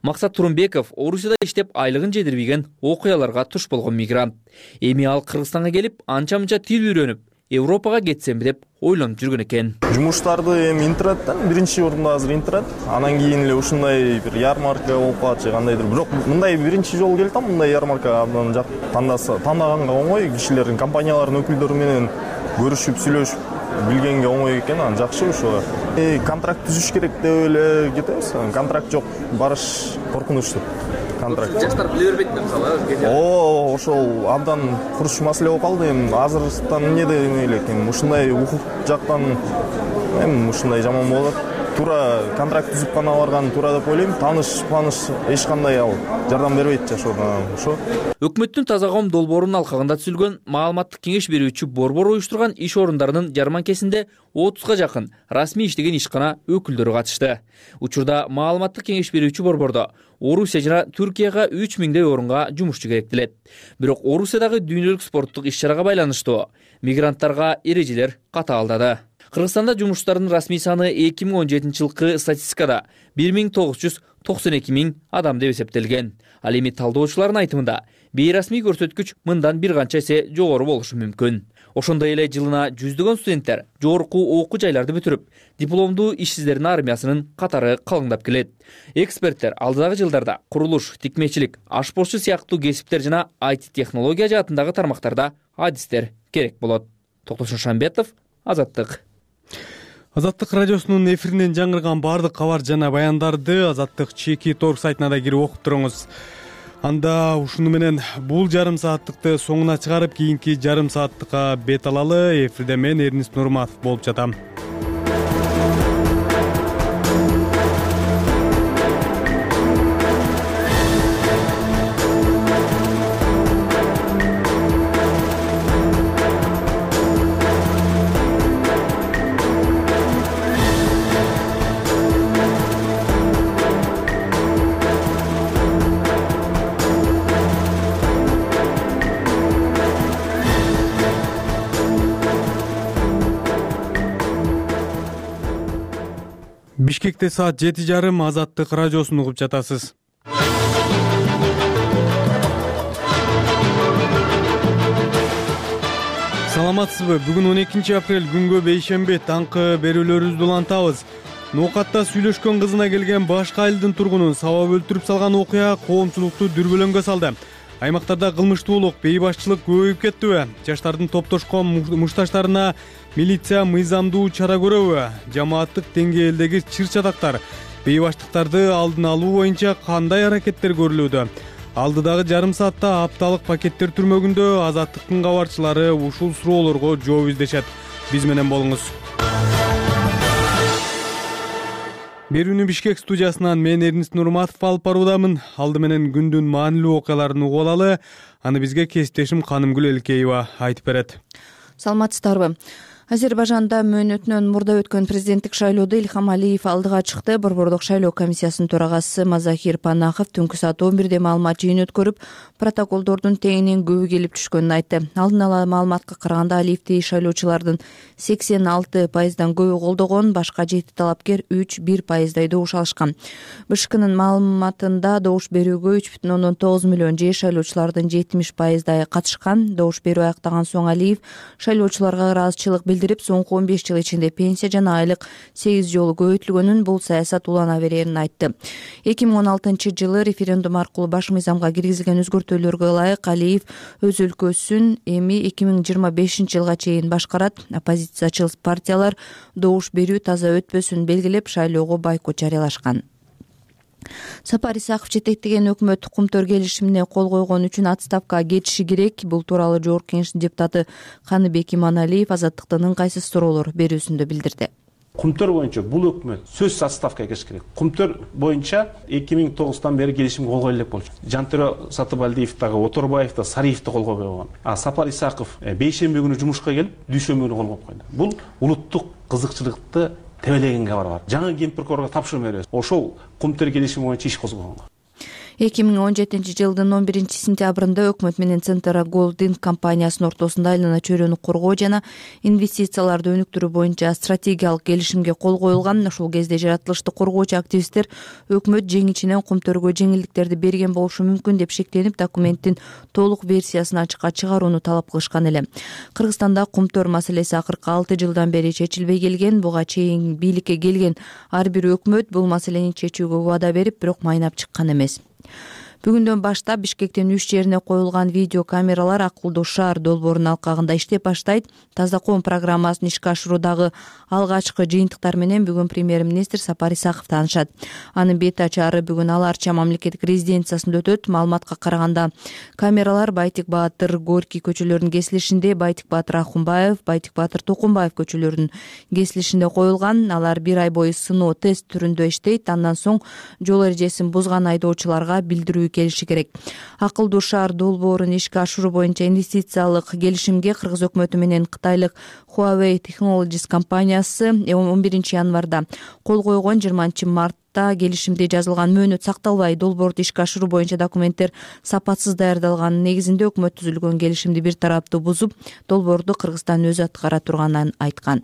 Максат Турунбеков Орусияда иштеп айлыгын жетирбеген окуяларга туш болгон мигрант. Эми ал Кыргызстанга келип, анча-мынча тил үйрөнүп, Европага кетсемби деп ойлонуп жүргөн экен. Жумуштарды эми интернеттен биринчи орунда азыр интернет, анан кийин эле ушундай бир ярмарка болуп калат же кандайдыр. Бирок мындай биринчи жолу келип атам, мындай ярмарка абдан жак. Тандаганга оңой, кишилердин, компаниялардын өкүлдөрү менен көрүшүп, сүйлөшүп билгенге оңой экен, анан жакшы ошо. Контракт түзүш керек деп эле кетебиз. Контракт жок, барыш коркунучтуу. Контракт. Жаштар биле бербейт мисалы. Ошол абдан курч маселе болуп калды. Эми азыртан эмне деп элек, ушундай укук жактан эми ушундай жаман болот. туура контракт түзүп гана барган туура деп ойлойм. Таныш эч кандай ал жардам бербейт жашоодон ошо. Өкмөттүн таза коом долбоорунун алкагында түзүлгөн маалыматтык кеңеш берүүчү борбор уюштурган иш орундарынын жарманкесинде 30га жакын расмий иштеген ишкана өкүлдөрү катышты. Учурда маалыматтык кеңеш берүүчү борбордо Орусия жана Түркияга 3000 орунга жумушчу керектелет. Бирок Орусиядагы дүйнөлүк спорттук иш-чарага байланыштуу мигранттарга эрежелер катаалдады. Кыргызстанда жумушчулардын расмий саны 2017 жылкы статистикада 1992 000 адам деп эсептелген. Ал эми талдоочулардын айтымында бейрасмий көрсөткүч мындан бир канча эсе жогору болушу мүмкүн. Ошондой эле жылына жүздөгөн студенттер жогорку окуу жайларды бүтүрүп, дипломдуу ишсиздердин армиясынын катары калыңдап келет. Эксперттер алдыдагы жылдарда курулуш, тикмечилик, ашпозчу сыяктуу кесиптер жана IT технология жаатындагы тармактарда адистер керек болот. Токтосун Шамбетов, Азаттык. Азаттык радиосунун эфиринен жаңырган баардык кабар жана баяндарды Азаттык Чеки.org сайтына да кирип окуп туруңуз. Анда ушуну менен бул жарым сааттыкты соңуна чыгарып, кийинки жарым сааттыкка бет алалы. Эфирде мен Эрнист Нурматов болуп жатам. Бишкекте саат 7:30 Азаттык радиосун угуп жатасыз. Саламатсызбы? Бүгүн 12 апрель күнгө бейшемби таңкы берүүлөрүбүздү улантабыз. Ноокатта сүйлөшкөн кызына келген башка айылдын тургунун сабап өлтүрүп салган окуя коомчулукту дүрбөлөңгө салды. Аймактарда кылмыштуулук, бейбашчылык көбөйүп кеттиби? Жаштардын топтошкон мушташтарына милиция мыйзамдуу чара көрөбү? Жамааттык деңгээлдеги чыр-чатактар, бейбаштыктарды алдын алуу боюнча кандай аракеттер көрүлүүдө? Алдыдагы жарым саатта апталык пакеттер түрмөгүндө Азаттыктын кабарчылары ушул суроолорго жооп издешет. Биз менен болуңуз. Берүүнү Бишкек студиясынан мен Эрнист Нурматов алып баруудамын. Алды менен күндүн маанилүү окуяларын угуп алалы. Аны бизге кесиптешим Канымгүл Элкеева айтып берет. Саламатсыздарбы? Азербайжанда мөөнөтүнөн мурда өткөн президенттик шайлоодо Ильхам Алиев алдыга чыкты. Борбордук шайлоо комиссиясынын төрагасы Мазахир Панахов түнкү саат 11де маалымат жыйын өткөрүп, протоколдордун теңинен көбү келип түшкөнүн айтты. Алдын ала маалыматка караганда Алиевди шайлоочулардын 86%дан көбү колдогон, башка 7 талапкер 3-1%дай добуш алышкан. БШКнын маалыматында добуш берүүгө 3,9 миллион же шайлоочулардын 70%дай катышкан. Добуш берүү аяктаган соң Алиев шайлоочуларга ыраазычылык билдирип, соңку 15 жыл ичинде пенсия жана айлык 8 жолу көбөйтүлгөнүн, бул саясат улана берерин айтты. 2016 жылы референдум аркылуу баш мыйзамга киргизилген өзгөртүүлөргө ылайык Алиев өз өлкөсүн эми 2025 жылга чейин башкарат. Оппозициячыл партиялар добуш берүү таза өтпөсүн белгилеп, шайлоого бойкот жарыялашкан. Сапар Исаков жетектеген өкмөт кумтөр келишимине кол койгон үчүн отставкага кетиши керек. Бул тууралуу Жогорку Кеңештин депутаты Каныбек Иманалиев Азаттыктын ыңгайсыз суроолор берүүсүндө билдирди. Кумтөр боюнча бул өкмөт сөзсүз отставкага кетиш керек. Кумтөр боюнча 2009-тан бери келишимге кол койгон элек болчу. Жантөре Сатыбалдиев дагы, Оторбаев да, Сариев да кол койгон. Сапар Исаков бейшемби күнү жумушка келип, дүйшөмбү күнү кол коюп койду. Бул улуттук кызыкчылыкты тебелеген кабар бар. Жаңы ген прокурорго тапшырма беребиз. Ошол кумтөр келишими боюнча иш козгогон. 2017 жылдын 11 сентябрында өкмөт менен Центра Голдинг компаниясынын ортосунда айлана чөйрөнү коргоо жана инвестицияларды өнүктүрүү боюнча стратегиялык келишимге кол коюлган. Ошол кезде жаратылышты коргоочу активисттер өкмөт жеңичинен кумтөргө жеңилдиктерди берген болушу мүмкүн деп шектенип, документтин толук версиясын ачыкка чыгарууну талап кылышкан эле. Кыргызстанда кумтөр маселеси акыркы 6 жылдан бери чечилбей келген. Буга чейин бийликке келген ар бир өкмөт бул маселени чечүүгө убада берип, бирок майнап чыккан эмес. Бүгүндөн баштап Бишкектин 3 жерине коюлган видео камералар акылдуу шаар долбоорунун алкагында иштеп баштайт. Таза ком программасын ишке ашыруудагы алгачкы жыйынтыктар менен бүгүн премьер-министр Сапар Исаков таанышат. Анын бет ачары бүгүн Ал Арча мамлекеттик резиденциясында өтөт. Маалыматка караганда камералар Байтик Баатыр, Горький көчөлөрүнүн кесилишинде, Байтик Баатыр Акунбаев, Байтик Баатыр Токунбаев көчөлөрүнүн кесилишинде коюлган. Алар 1 ай бою сыноо тест түрүндө иштейт. Андан соң жол эрежесин бузган айдоочуларга билдирүү келиши керек. Акылдуу шаар долбоорун ишке ашыруу боюнча инвестициялык келишимге Кыргыз өкмөтү менен Кытайлык Huawei Technologies компаниясы 11 январда кол койгон. 20 мартта келишимде жазылган мөөнөт сакталбай долбоорду ишке ашыруу боюнча документтер сапатсыз даярдалганын негизинде өкмөт түзүлгөн келишимди бир тараптуу бузуп, долбоорду Кыргызстан өзү аткара турганын айткан.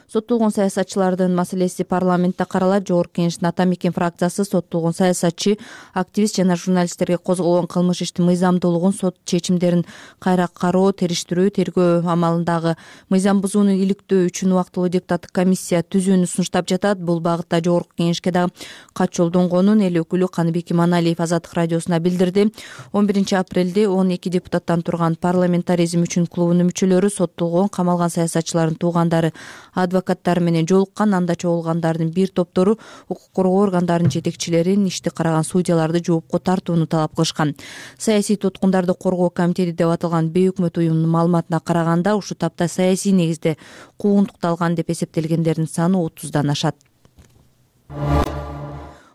Соттолгон саясатчылардын маселеси парламентте каралат. Жогорку Кеңештин Ата Мекен фракциясы соттолгон саясатчы, активист жана журналисттерге козголгон кылмыш иштин мыйзамдуулугун, сот чечимдерин кайра кароо, териштирүү, тергөө амалындагы мыйзам бузууну иликтөө үчүн убактылуу депутаттык комиссия түзүүнү сунуштап жатат. Бул багытта Жогорку Кеңешке дагы кат жолдонгонун эл өкүлү Каныбек Иманалиев Азаттык радиосуна билдирди. 11 апрелде 12 депутаттан турган парламентаризм үчүн клубунун мүчөлөрү соттолгон, камалган саясатчылардын туугандары, адвокаттар менен жолуккан. Анда чогулгандардын бир топтору укук коргоо органдарынын жетекчилерин, ишти караган судьяларды жоопко тартууну талап кылышкан. Саясий туткундарды коргоо комитети деп аталган бейөкмөт уюмдун маалыматына караганда, ушул тапта саясий негизде куугунтукталган деп эсептелгендердин саны 30дан ашат.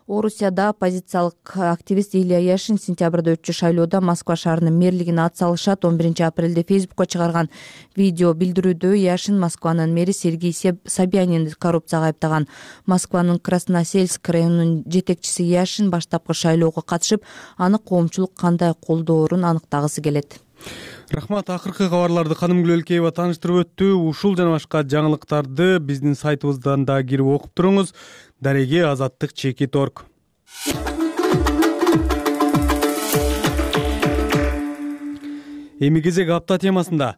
Орусияда оппозициялык активист Илья Яшин сентябрда өтчү шайлоодо Москва шаарынын мэрлигине ат салышат. 11 апрелде Фейсбукка чыгарган видео билдирүүдө Яшин Москванын мэри Сергей Собянинди коррупцияга айыптаган. Москванын Красносельск районунун жетекчиси Яшин баштапкы шайлоого катышып, аны коомчулук кандай колдоорун аныктагысы келет. Рахмат. Акыркы кабарларды Ханым Гүлөлкеева тааныштырып өттү. Ушул жана башка жаңылыктарды биздин сайтыбыздан да кирип окуп туруңуз. Дареге Азаттык Чекит.org. Эми кезек апта темасында.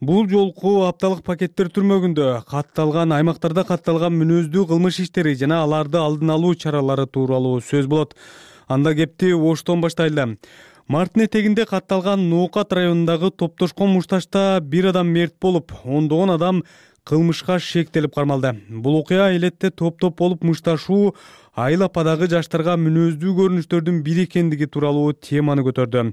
Бул жолку апталык пакеттер түрмөгүндө катталган аймактарда катталган мүнөздүү кылмыш иштери жана аларды алдын алуу чаралары тууралуу сөз болот. Анда кепти Оштон баштайлы. Марттын этегинде катталган Ноокат районундагы топтошкон мушташта бир адам мерт болуп, ондогон адам кылмышка шектелип кармалды. Бул окуя элетте топ-топ болуп мушташуу айыл-ападагы жаштарга мүнөздүү көрүнүштөрдүн бири экендиги тууралуу теманы көтөрдү.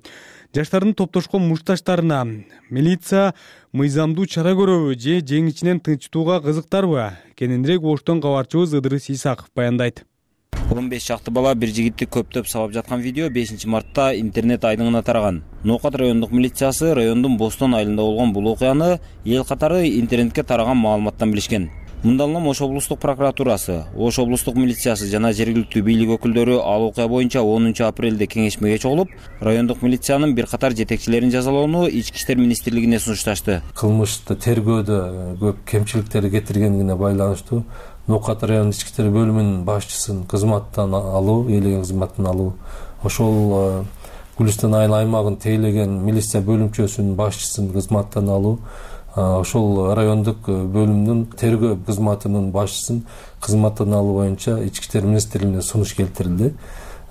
Жаштардын топтошкон мушташтарына милиция мыйзамдуу чара көрөбү же жең ичинен тынчтууга кызыктарбы? Кененирээк Оштон кабарчыбыз Ыдырыс Исаков баяндайт. 15 шакты бала бир жигитти көптөп сабап жаткан видео 5 мартта интернет айдыңына тараган. Ноокат райондук милициясы райондун Бостон айылында болгон бул окуяны эл катары интернетке тараган маалыматтан билишкен. Мындан улам Ош облустук прокуратурасы, Ош облустук милициясы жана жергиликтүү бийлик өкүлдөрү ал окуя боюнча 10 апрелде кеңешмеге чогулуп, райондук милициянын бир катар жетекчилерин жазалоону Ички иштер министрлигине сунушташты. Кылмышты тергөөдө көп кемчиликтер кетиргенине байланыштуу Ноокат райондук ички иштер бөлүмүнүн башчысын кызматтан алуу, ээлеген кызматтан алуу, ошол Гүлүстан айыл аймагын тейлеген милиция бөлүмчөсүнүн башчысын кызматтан алуу, ошол райондук бөлүмдүн тергөө кызматынын башчысын кызматтан алуу боюнча Ички иштер министрлигине сунуш келтирилди.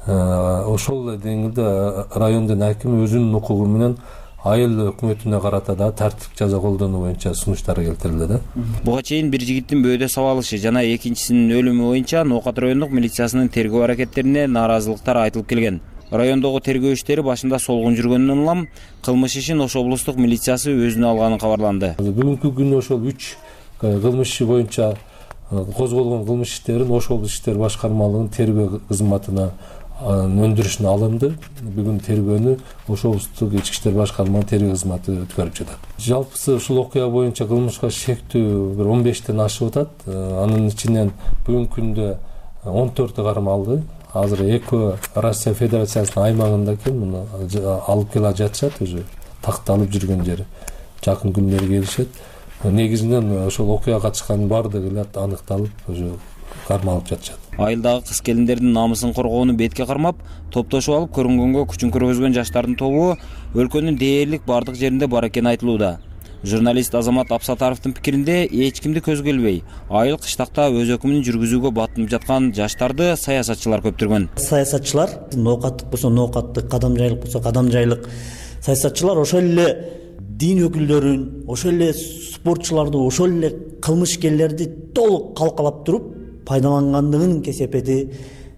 Ошол деңгээлде райондун акими өзүнүн укугу менен айыл өкмөтүнө карата да тартиптик жаза колдонуу боюнча сунуштар келтирилди да. Буга чейин бир жигиттин бөөдө сабалышы жана экинчисинин өлүмү боюнча Ноокат райондук милициясынын тергөө аракеттерине нааразылыктар айтылып келген. Райондогу тергөө иштери башында солгун жүргөндөн улам кылмыш ишин Ош облустук милициясы өзүнө алганын кабарланды. Бүгүнкү күнү ошол 3 кылмыш иши боюнча козголгон кылмыш иштерин Ош облустук иштер башкармалыгынын тергөө кызматына өндүрүшүнө алынды. Бүгүн тергөөнү Ош облустук ички иштер башкармалыгынын тергөө кызматы өткөрүп жатат. Жалпысы ушул окуя боюнча кылмышка шектүү бир 15тен ашып атат. Анын ичинен бүгүнкү күндө 14 кармалды. Азыр экөө Россия Федерациясынын аймагында экен, муну алып кела жатышат, өзү такталып жүргөн жери. Жакын күндөрү келишет. Негизинен ошол окуяга катышкандын баардыгы эле аныкталып, өзү кармалып жатышат. Айылдагы кыз келиндердин намысын коргоону бетке кармап, топтошуп алып көрүнгөнгө күчүн көргөзгөн жаштардын тобу өлкөнүн дээрлик бардык жеринде бар экени айтылууда. Журналист Азамат Абсатаровдун пикиринде эч кимди көзгө илбей, айыл кыштакта өз өкүмүн жүргүзүүгө батынып жаткан жаштарды саясатчылар көптүргөн. Саясатчылар ноокаттык болсо ноокаттык, кадамжайлык болсо кадамжайлык саясатчылар ошол эле дин өкүлдөрүн, ошол эле спортчуларды, ошол эле кылмышкерлерди толук калкалап туруп пайдалангандыгынын кесепети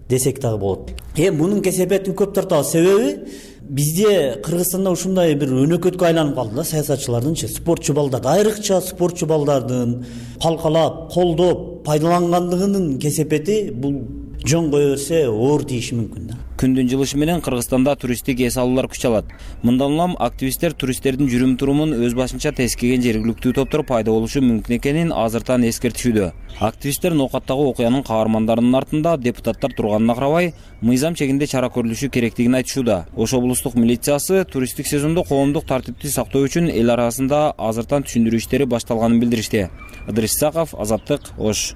десек дагы болот. Мунун кесепетин көп тартабыз. Себеби бизде Кыргызстанда ушундай бир өнөкөткө айланып калды да саясатчылардынчы, спортчу балдарды, айрыкча спортчу балдардын калкалап, колдоп пайдалангандыгынын кесепети бул жөн кое берсе оор тийиши мүмкүн да. Күндүн жылышы менен Кыргызстанда туристтик эс алуулар күч алат. Мындан улам активисттер туристтердин жүрүм турумун өз башынча тескеген жергиликтүү топтор пайда болушу мүмкүн экенин азыртан эскертишүүдө. Активисттер ноокаттагы окуянын каармандарынын артында депутаттар турганына карабай, мыйзам чегинде чара көрүлүшү керектигин айтышууда. Ош облустук милициясы туристтик сезондо коомдук тартипти сактоо үчүн эл арасында азыртан түшүндүрүү иштери башталганын билдиришти. Ыдырыс Исаков, Азаттык, Ош.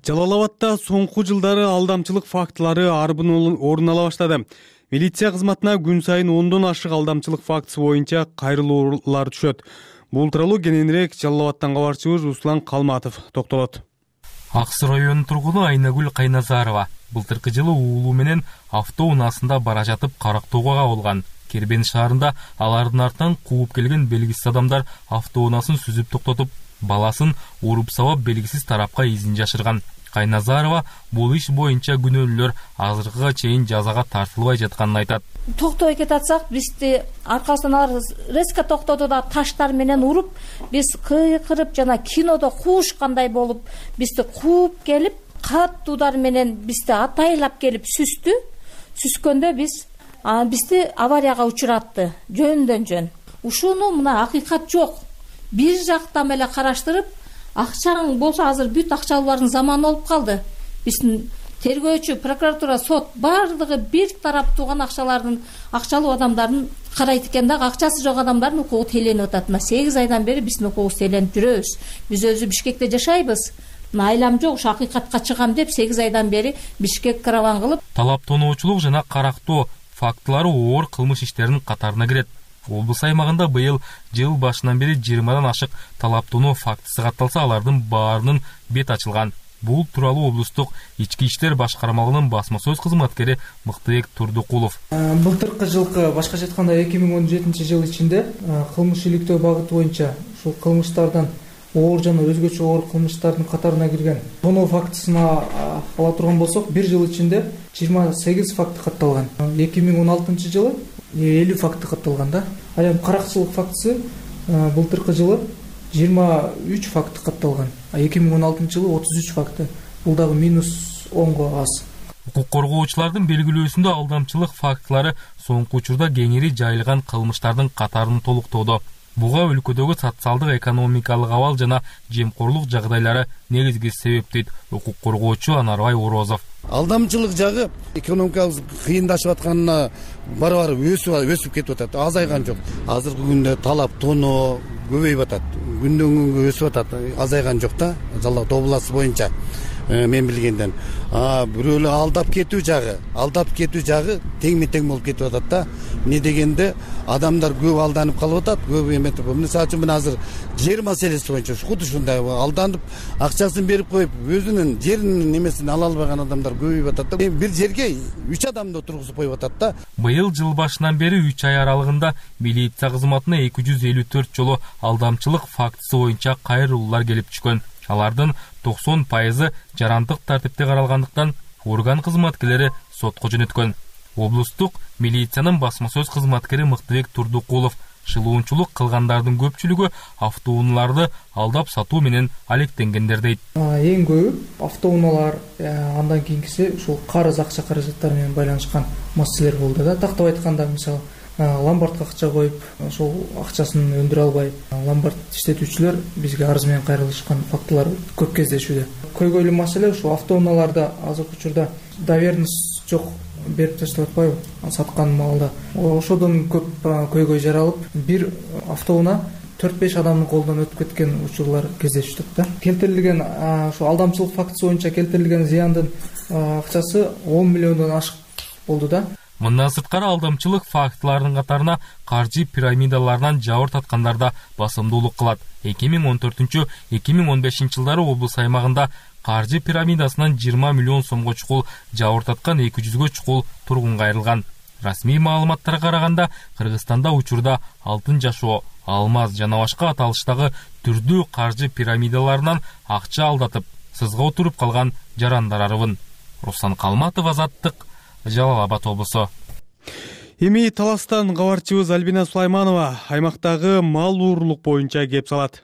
Жалал-Абадта соңку жылдары алдамчылык фактылары арбын орун ала баштады. Милиция кызматына күн сайын 10дон ашык алдамчылык фактысы боюнча кайрылуулар түшөт. Бул тууралуу кененирээк Жалал-Абадтан кабарчыбыз Руслан Калматов токтолот. Ак Суу районунун тургуну Айнагүл Кайназарова былтыркы жылы уулу менен автоунаасында бара жатып карактоого кабылган. Кербен шаарында алардын артынан кууп келген белгисиз адамдар автоунаасын сүзүп токтотуп, баласын уруп сабап белгисиз тарапка изин жашырган. Кайназарова бул иш боюнча күнөөлүүлөр азыркыга чейин жазага тартылбай жатканын айтат. Токтобой кетатсак, бизди аркасынан алар резко токтоду да таштар менен уруп, биз кыйкырып жана кинодо куушкандай болуп, бизди кууп келип, катты удар менен бизди атайлап келип сүздү. Сүзгөндө бизди аварияга учуратты, жөндөн жөн. Ушуну мына акыйкат жок. Бир жактан эле караштырып, акчаң болсо азыр бүт акчалуулардын заманы болуп калды. Биздин тергөөчү, прокуратура, сот бардыгы бир тараптуу гана акчалуу адамдардын карайт экен да, акчасы жок адамдардын укугу тейленип атат. Мына 8 айдан бери биздин укугубуз тейленип жүрөбүз. Биз өзү Бишкекте жашайбыз. Мына айлам жок, ушу акыйкатка чыгам деп 8 айдан бери Бишкек караван кылып. Талаптоочулук жана карактоо фактылары оор кылмыш иштеринин катарына кирет. Облус аймагында быйыл жыл башынан бери 20дан ашык талаптонуу фактысы катталса, алардын баарынын бет ачылган. Бул тууралуу облустук ички иштер башкармалыгынын басма сөз кызматкери Мыктыбек Турдукулов. Былтыркы жылкы башкача айтканда 2017-жыл ичинде кылмыш иликтөө багыты боюнча ушул кылмыштардан оор жана өзгөчө оор кылмыштардын катарына кирген тоноо фактысына ала турган болсок, бир жыл ичинде 28 факты катталган. 2016-жылы 50 факты катталган да. Ал эми каракчылык фактысы былтыркы жылы 23 факты катталган. 2016-жылы 33 факты. Бул дагы -10го аз. Укук коргоочулардын белгилөөсүндө алдамчылык фактылары соңку учурда кеңири жайылган кылмыштардын катарын толуктоодо. Буга өлкөдөгү социалдык экономикалык абал жана жемкорлук жагдайлары негизги себеп дейт укук коргоочу Анарбай Орозов. Алдамчылык жагы экономикабыз кыйындашып атканына бара-бара өсүп кетип атат, азайган жок. Азыркы күндө талап тоноо көбөйүп атат. Күндөн күнгө өсүп атат, азайган жок да. Жалал Абад областы боюнча мен билгенден. Бирөөлөр алдап кетүү жагы теңме-тең болуп кетип атат да. Эмне дегенде адамдар көп алданып калып атат, көп эметип. Мисалы үчүн мен азыр жер маселеси боюнча худо ушундай алданып, акчасын берип коюп, өзүнүн жеринин немесин ала албаган адамдар көбөйүп атат да. Бир жерге 3 адамды отургузуп коюп атат да. Быйыл жыл башынан бери 3 ай аралыгында милиция кызматына 254 жолу алдамчылык фактысы боюнча кайрылуулар келип түшкөн. Алардын 90% жарандык тартипте каралгандыктан орган кызматкерлери сотко жөнөткөн. Облустук милициянын басма сөз кызматкери Мыктыбек Турдукулов шылуунчулук кылгандардын көпчүлүгү автоунааларды алдап сатуу менен алектенгендер дейт. Эң көбү автоунаалар, андан кийинкиси ушул карыз акча каражаттары менен байланышкан маселелер болду да. Тактап айтканда, мисалы, ломбардка акча коюп, ошол акчасын өндүрө албай, ломбард иштетүүчүлөр бизге арыз менен кайрылышкан фактылар көп кездешүүдө. Көйгөйлүү маселе ушул автоунааларда азыркы учурда доверенность жок, берип таштап атпайбы саткан маалда. Ошодон көп көйгөй жаралып, бир автоунаа 4-5 адамдын колунан өтүп кеткен учурлар кездешти да. Келтирилген ошо алдамчылык фактысы боюнча келтирилген зыяндын акчасы 10 миллиондон ашык болду да. Мындан сырткары алдамчылык фактыларынын катарына каржы пирамидаларынан жабыр таткандар да басымдуулук кылат. 2014-2015 жылдары облус аймагында каржы пирамидасынан 20 миллион сомго чукул жабыр таткан 200гө чукул тургунга айрылган. Расмий маалыматтарга караганда, Кыргызстанда учурда алтын жашоо, алмаз жана башка аталыштагы түрдүү каржы пирамидаларынан акча алдатып, сызга отуруп калган жарандар арыбын. Руслан Калматов, Азаттык, Жалал Абад облусу. Эми Таластан кабарчыбыз Альбина Сулайманова аймактагы мал уурулук боюнча кеп салат.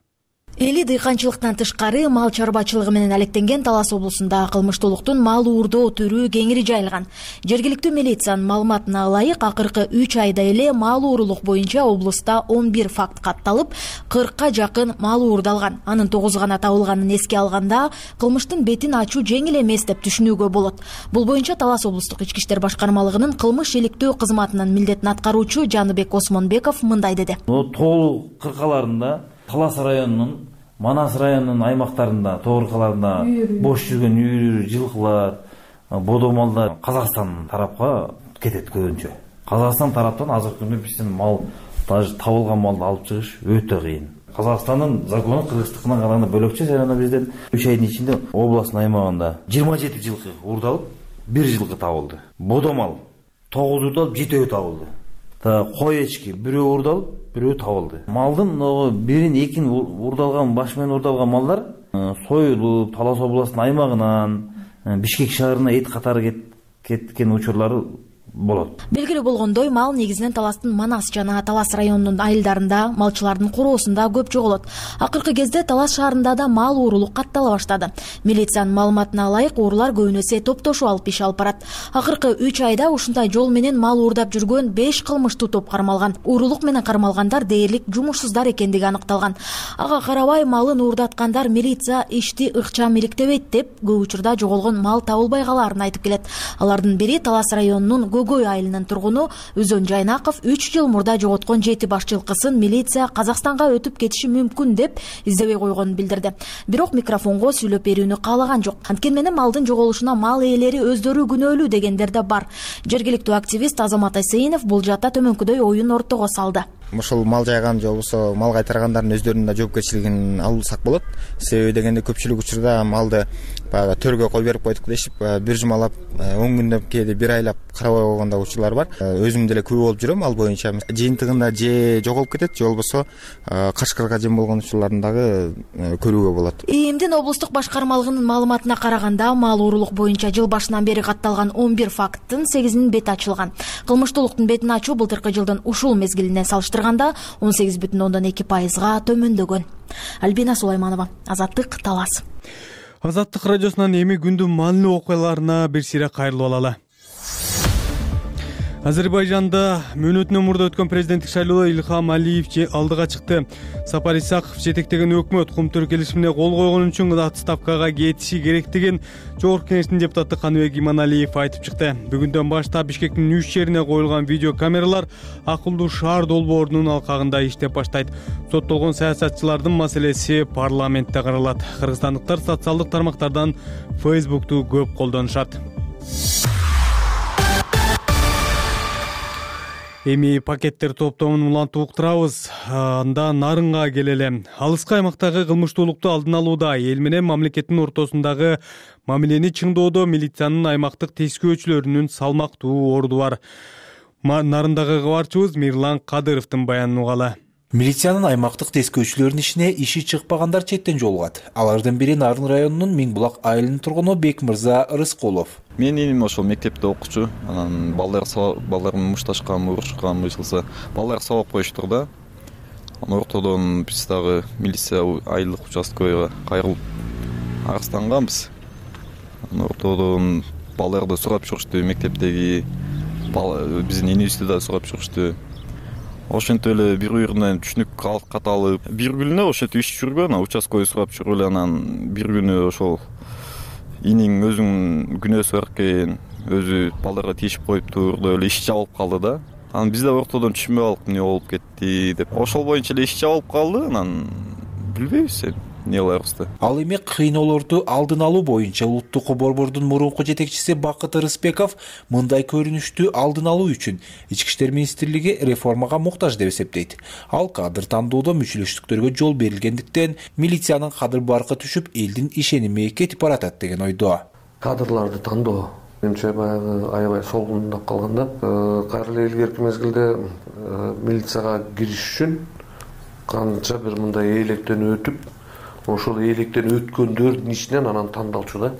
Эли дыйканчылыктан тышкары мал чарбачылыгы менен алектенген Талас облусунда кылмыштуулуктун мал уурдоо түрү кеңири жайылган. Жергиликтүү милициянын маалыматына ылайык, акыркы 3 айда эле мал уурулук боюнча облуста 11 факт катталып, 40ка жакын мал уурдалган. Анын 9 гана табылганын эске алганда, кылмыштын бетин ачуу жеңил эмес деп түшүнүүгө болот. Бул боюнча Талас облустук ички иштер башкармалыгынын кылмыш иликтөө кызматынын милдетин аткаруучу Жаныбек Осмонбеков мындай деди. Тоол кыркаларында Талас районунун, Манас районунун аймактарында, тоо кыркаларында бош жүргөн үйүр, жылкылар, бодомалдар Казакстан тарапка кетет көбүнчө. Казакстан тараптан азыркы күндө биздин мал, табылган малды алып чыгыш өтө кыйын. Казакстандын закону кыргыздыкына караганда бөлөкчө, жана бизден 3 айдын ичинде областтын аймагында 27 жылкы уурдалып, 1 жылкы табылды. Бодомал 9 уурдалып, 7 табылды. Кой эчки бирөө уурдалып, бирөө табылды. Малдын бирин экин уурдалган, баш менен уурдалган малдар союлуп, Талас областынын аймагынан Бишкек шаарына эт катары кеткен учурлары болот. Белгилүү болгондой, мал негизинен Таластын Манас жана Талас районунун айылдарында, малчылардын короосунда көп жоголот. Акыркы кезде Талас шаарында да мал уурулук каттала баштады. Милициянын маалыматына ылайык, уурулар көбүнесе топтошуу алып иш алып барат. Акыркы 3 айда ушундай жол менен мал уурдап жүргөн 5 кылмыштуу топ кармалган. Уурулук менен кармалгандар дээрлик жумушсуздар экендиги аныкталган. Ага карабай малын уурдаткандар милиция ишти ыкчам иликтебейт деп, көп учурда жоголгон мал табылбай калаарын айтып келет. Алардын бири Талас районунун Гөгөй айылынын тургуну Өзөн Жайнаков 3 жыл мурда жоготкон 7 баш жылкысын милиция Казакстанга өтүп кетиши мүмкүн деп издебей койгонун билдирди. Бирок микрофонго сүйлөп берүүнү каалаган жок. Анткени менен малдын жоголушуна мал ээлери өздөрү күнөөлүү дегендер да бар. Жергиликтүү активист Азамат Айсейинов бул жаатта төмөнкүдөй оюн ортого салды. Ушул мал жайган же болбосо мал кайтаргандардын өздөрүнүн да жоопкерчилигин алсак болот. Себеби дегенде көпчүлүк учурда малды баягы төргө кой берип койдук дешип, бир жумалап, 10 күндөп, кээде бир айлап карабай койгондо учурлар бар. Өзүм деле күбө болуп жүрөм ал боюнча. Жыйынтыгында же жоголуп кетет, же болбосо качкырга жем болгон учурларын дагы көрүүгө болот. ИИМдин облустук башкармалыгынын маалыматына караганда, мал уурулук боюнча жыл башынан бери катталган 11 факттын 8-инин бети ачылган. Кылмыштуулуктун бетин ачуу былтыркы жылдын ушул мезгилинен салыштырганда 18,2%га төмөндөгөн. Альбина Сулайманова, Азаттык, Талас. Азаттык радиосунан эми күндүн маанилүү окуяларына бир сире кайрылып алалы. Азербайжанда мөөнөтүнөн мурда өткөн президенттик шайлоодо Ильхам Алиев алдыга чыкты. Сапар Исаков жетектеген өкмөт кумтөр келишимине кол койгон үчүн отставкага кетиши керектигин Жогорку Кеңештин депутаты Каныбек Иманалиев айтып чыкты. Бүгүндөн баштап Бишкектин 3 жерине коюлган видео камералар акылдуу шаар долбоорунун алкагында иштеп баштайт. Соттолгон саясатчылардын маселеси парламентте каралат. Кыргызстандыктар социалдык тармактардан Facebook'ту көп колдонушат. Эми пакеттер топтомун улантып уктурабыз. Анда Нарынга келеле. Алыскы аймактагы кылмыштуулукту алдын алууда эл менен мамлекеттин ортосундагы мамилени чыңдоодо милициянын аймактык тескөөчүлөрүнүн салмактуу орду бар. Нарындагы кабарчыбыз Мирлан Кадыровдун баянын угалы. Милициянын аймактык тескөөчүлөрүнүн ишине иши чыкпагандар четтен жолугат. Алардын бири Нарын районунун Миңбулак айылынын тургуну Бекмырза Рыскулов. Менин иним ошол мектепте окуучу. Анан балдарым мушташкан, урушкан болсо, балдар сабак коюштур да. Анан ортодон биз дагы милиция айылдык участкага кайрылып арызданганбыз. Анан ортодон балдарды сурап жүрүштү, мектептеги биздин инибизди да сурап жүрүштү. Ошентип эле бири-биринен түшүнүк каталып, бир күнү ошентип иш жүргөн, участкага сурап жүрүп эле анан бир күнү ошол иниң өзүнүн күнөөсү бар экен, өзү балдарга тийишип коюптур деп эле иш жабылып калды да. Анан биз да ортодон түшүнбөй калдык, эмне болуп кетти деп. Ошол боюнча эле иш жабылып калды, анан билбейбиз эми. эмне кылабыз да. Ал эми кыйноолорду алдын алуу боюнча улуттук борбордун мурунку жетекчиси Бакыт Ырысбеков мындай көрүнүштү алдын алуу үчүн Ички иштер министрлиги реформага муктаж деп эсептейт. Ал кадр тандоодо мүчөлөштүктөргө жол берилгендиктен милициянын кадыр баркы түшүп, элдин ишеними кетип баратат деген ойдо. Кадрларды тандоо менимче баягы аябай солгундап калганда, кайра эле илгерки мезгилде милицияга кириш үчүн канча бир мындай эйлектен өтүп, ошол эйлектен өткөндөрдүн ичинен анан тандалчу да.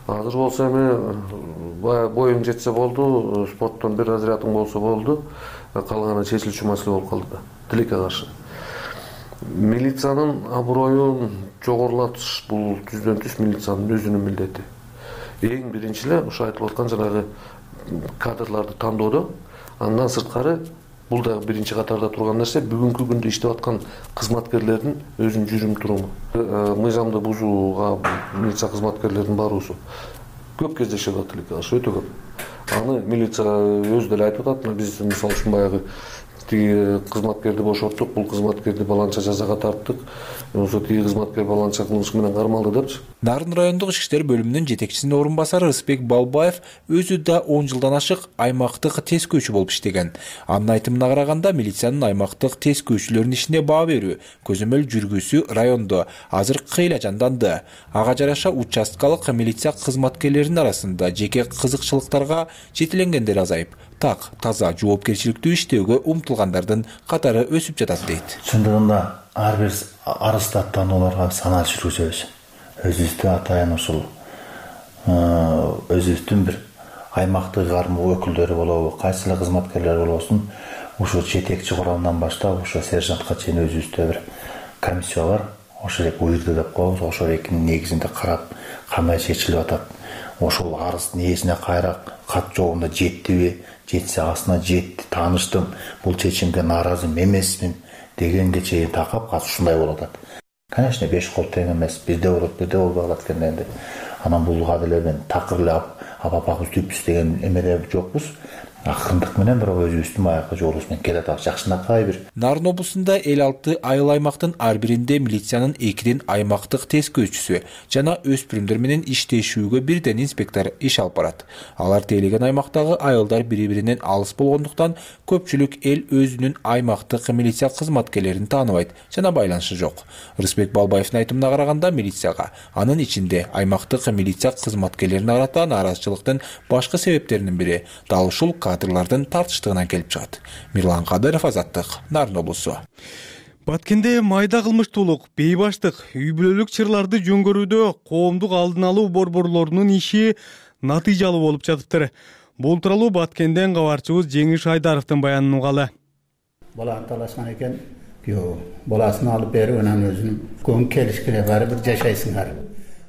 Азыр болсо эми боюң жетсе болду, спорттон бир разрядың болсо болду, калганы чечилчү маселе болуп калды да. Тилекке каршы. Милициянын аброюн жогорулатыш бул түздөн түз милициянын өзүнүн милдети. Эң биринчи эле ошо айтылып аткан жанагы кадрларды тандоодо, андан сырткары бул да биринчи катарда турган нерсе, бүгүнкү күндө иштеп аткан кызматкерлердин өзүнүн жүрүм туруму. Мыйзамды бузууга милиция кызматкерлеринин баруусу көп кездешет тилекке каршы, өтө көп. Аны милиция өзү деле айтып атат, биз мисалы үчүн баягы тиги кызматкерди бошоттук, бул кызматкерди баланча жазага тарттык, ошо тиги кызматкер баланча кылмыш менен кармалды депчи. Нарын райондук ички иштер бөлүмүнүн жетекчисинин орун басары Ырысбек Балбаев өзү да 10 жылдан ашык аймактык тескөөчү болуп иштеген. Анын айтымына караганда, милициянын аймактык тескөөчүлөрдүн ишине баа берүү, көзөмөл жүргүзүү райондо азыр кыйла жанданды. Ага жараша участкалык милиция кызматкерлеринин арасында жеке кызыкчылыктарга жетиленгендер азайып, так таза жоопкерчиликтүү иштөөгө умтулгандардын катары өсүп жатат дейт. Чындыгында ар бир арыз аттанууларга санал жүргүзөбүз. Өзүбүздүн атайын ушул өзүбүздүн бир аймактык кармоо өкүлдөрү болобу, кайсы эле кызматкерлер болбосун, ушул жетекчи курамдан баштап ушул сержантка чейин өзүбүздө бир комиссия бар. Ошол эле буйрду деп коебуз. Ошол экинин негизинде карап, кандай чечилип атат. Ошол арыздын ээсине кайра кат жолунда жеттиби, жетсе астына жетти, тааныштым, бул чечимге нааразы эмесмин дегенге чейин такап кат ушундай болуп атат. Конечно, 5 кол тең эмес, бизде болбой калат экен энди. Анан булга деле мен такыр эле апабыз түпүз деген эмеде жокпуз. Акырындык менен бирок өзүбүздүн баягы жолубуз менен келатабыз, жакшынакай бир. Нарын облусунда 56 айыл аймактын ар биринде милициянын 2ден аймактык тескөөчүсү жана өспүрүмдөр менен иштешүүгө бирден инспектор иш алып барат. Алар тейлеген аймактагы айылдар бири-биринен алыс болгондуктан көпчүлүк эл өзүнүн аймактык милиция кызматкерлерин тааныбайт жана байланышы жок. Ырысбек Балбаевдин айтымына караганда, милицияга, анын ичинде аймактык милиция кызматкерлерин арата нааразычылыктын башкы себептеринин бири дал ушул кадрлардын тартыштыгынан келип чыгат. Мирлан Кадыров, Азаттык, Нарын облусу. Баткенде майда кылмыштуулук, бейбаштык, үй бүлөлүк чырларды жөнгөрүүдө коомдук алдын алуу борборлорунун иши натыйжалуу болуп жатыптыр. Бул тууралуу Баткенден кабарчыбыз Жеңиш Айдаровдун баянын угалы. Бала талашкан экен, баласын алып берип, анан өзүнүн көңүл келишкине баары бир жашайсыңар.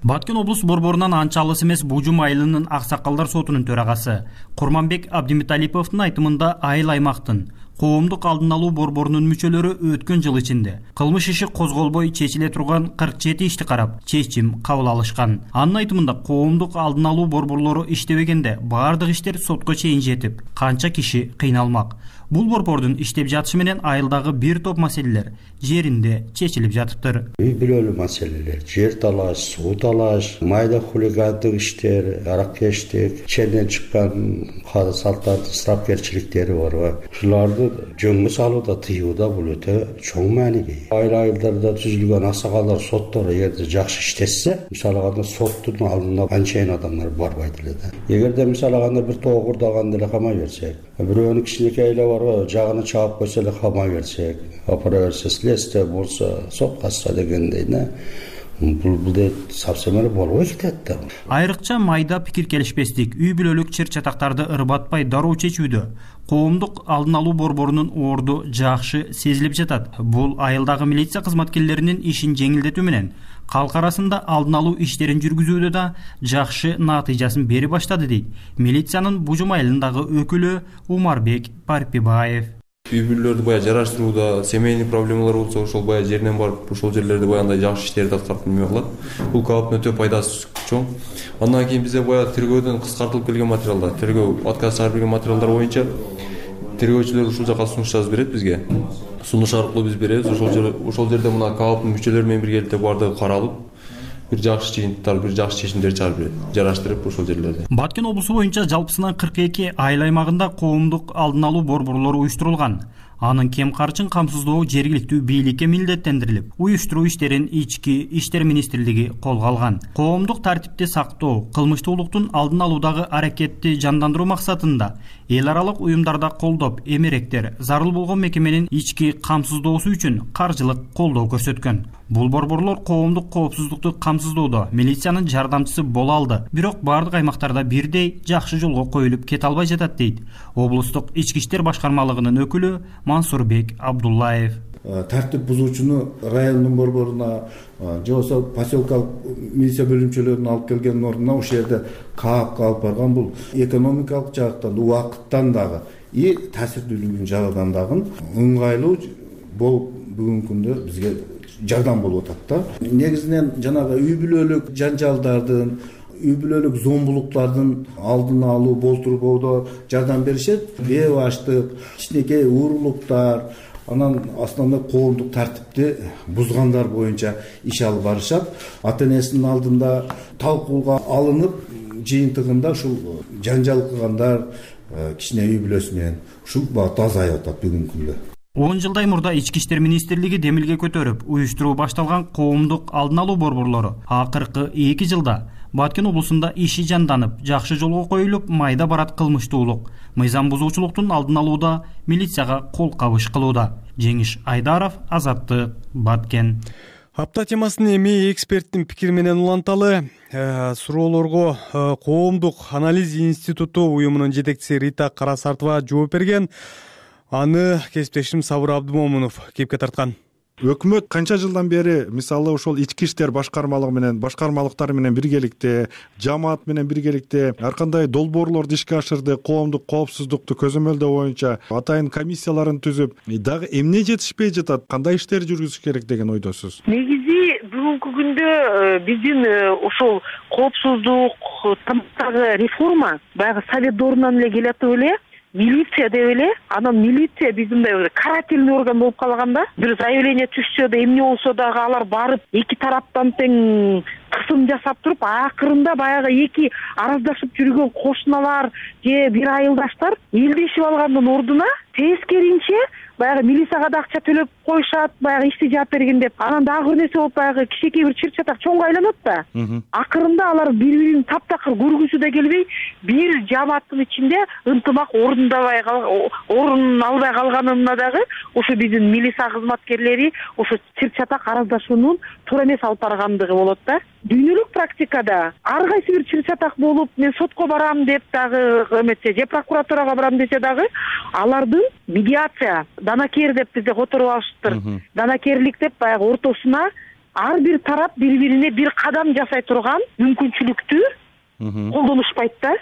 Баткен облус борборунан анча алыс эмес Бужум айылынын Аксакалдар сотунун төрагасы Курманбек Абдимиталиповдун айтымында айыл аймактын коомдук алдын алуу борборунун мүчөлөрү өткөн жыл ичинде кылмыш иши козголбой чечиле турган 47 ишти карап чечим кабыл алышкан. Анын айтымында коомдук алдын алуу борборлору иштебегенде баардык иштер сотко чейин жетип, канча киши кыйналмак. Бул борбордун иштеп жатышы менен айылдагы бир топ маселелер жеринде чечилип жатыптыр. Үй бүлөлүк маселелер, жер талаш, суу талаш, майда хулигандык иштер, араккечтик, ченден чыккан салттардын ысырапкерчиликтери бар. Ушуларды жөнгө салууда, тыюуда бул өтө чоң мааниге. Айылдарда түзүлгөн аксакалдар соттор эгерде жакшы иштешсе, мисалы алганда соттун алдына анчайын адамдар барбайт эле да. Эгерде мисалы алганда бир тоогурдаган деле камай берсек, бирөөнүн кичинекей эле бар, жагына чаап койсо эле камай берсек, апара берсе, следствие болсо, сот катса дегендей да. Бул совсем эле болбой кетет да. Айрыкча майда пикир келишпестик, үй бүлөлүк чыр чатактарды ырбатпай дароо чечүүдө коомдук алдын алуу борборунун орду жакшы сезилип жатат. Бул айылдагы милиция кызматкерлеринин ишин жеңилдетүү менен калк арасында алдын алуу иштерин жүргүзүүдө да жакшы натыйжасын бери баштады дейт милициянын Бужум айылындагы өкүлү Умарбек Парпибаев. Үй бүлөлөрдү бая жараштырууда семейный проблемалар болсо, ошол бая жеринен барып, ошол жерлерде баягындай жакшы иштерди аткарып неме кылат. Бул калптын өтө пайдасы чоң. Андан кийин бизде бая тергөөдөн кыскартылып келген материалдар, тергөө отказ чыгарып берген материалдар боюнча Тергөөчүлөр ушул жака сунуш жазып берет бизге. Сунуш аркылуу биз беребиз. Ошол жерде мына КАОПтун мүчөлөрү менен биргеликте бардыгы каралып, бир жакшы жыйынтыктар, бир жакшы чечимдер чыгарып берет. Жараштырып ошол жерлерде. Баткен облусу боюнча жалпысынан 42 айыл аймагында коомдук алдын алуу борборлору уюштурулган. Анын кем карчын камсыздоо жергиликтүү бийликке милдеттендирилип, уюштуруу иштерин Ички иштер министрлиги колго алган. Коомдук тартипти сактоо, кылмыштуулуктун алдын алуудагы аракетти жандандыруу максатында эл аралык уюмдарда колдоп, эмеректер зарыл болгон мекеменин ички камсыздоосу үчүн каржылык колдоо көрсөткөн. Бул борборлор коомдук коопсуздукту камсыздоодо милициянын жардамчысы боло алды. Бирок бардык аймактарда бирдей жакшы жолго коюлуп кете албай жатат дейт облустук ички иштер башкармалыгынын өкүлү Мансурбек Абдуллаев. Тартип бузуучуну райондун борборуна же болбосо поселкалык милиция бөлүмчөлөрүнө алып келген ордуна ошол жерде КААПка алып барган. Бул экономикалык жактан, убакыттан дагы и таасирдүүлүгүнүн жагынан дагы ыңгайлуу болуп бүгүнкү күндө бизге жардам болуп атат да. Негизинен жанагы үй бүлөлүк жанжалдардын, үй бүлөлүк зомбулуктардын алдын алуу, болтурбоодо жардам беришет. Бээ баштык, кичинекей уурулуктар, анан основной коомдук тартипти бузгандар боюнча иш алып барышат. Ата-энесинин алдында талкууга алынып, жыйынтыгында ушул жанжал кылгандар кичине үй бүлөсү менен ушул багытта азайып атат бүгүнкү күндө. 10 жылдай мурда Ички иштер министрлиги демилге көтөрүп, уюштуруу башталган коомдук алдын алуу борборлору акыркы 2 жылда Баткен облусунда иши жанданып, жакшы жолго коюлуп, майда барат кылмыштуулук, мыйзам бузуучулуктун алдын алууда милицияга кол кабыш кылууда. Жеңиш Айдаров, Азаттык, Баткен. Апта темасын эми эксперттин пикири менен уланталы. Суроолорго Коомдук анализ институту уюмунун жетекчиси Рита Карасартова жооп берген. Аны кесиптешим Сабыр Абдымомунов кепке тарткан. Өкмөт канча жылдан бери мисалы ошол ички иштер башкармалыгы менен башкармалыктар менен биргеликте, жамаат менен биргеликте ар кандай долбоорлорду ишке ашырды, коомдук коопсуздукту көзөмөлдөө боюнча атайын комиссияларын түзүп, дагы эмне жетишпей жатат, кандай иштер жүргүзүш керек деген ойдосуз? Негизи бүгүнкү күндө биздин ошол коопсуздук тармактагы реформа баягы совет доорунан эле келатып эле. Милиция деп эле, анан милиция биздин мындай карательный орган болуп калган да. Бир заявление түшсө да, эмне болсо дагы алар барып эки тараптан тең кысым жасап туруп, акырында баягы эки араздашып жүргөн кошуналар же бир айылдаштар элдешип алгандын ордуна тескеринче баягы милицияга да акча төлөп коюшат, баягы ишти жаап берген деп. Анан дагы бир нерсе болуп баягы кичинекей бир чыр-чатак чоңго айланат да. Акырында алар бири-бирин таптакыр көргүсү да келбей, бир жамааттын ичинде ынтымак орун албай калганына дагы ошо биздин милиция кызматкерлери ошо чыр-чатак араздашуунун туура эмес алып баргандыгы болот да. Дүйнөлүк практикада ар кайсы бир чыр-чатак болуп, мен сотко барам деп дагы эметсе, же прокуратурага барам десе дагы алардын медиация, данакер деп бизде которуп алышыптыр. Данакерлик деп баягы ортосуна ар бир тарап бири-бирине бир кадам жасай турган мүмкүнчүлүктү колдонушпайт да.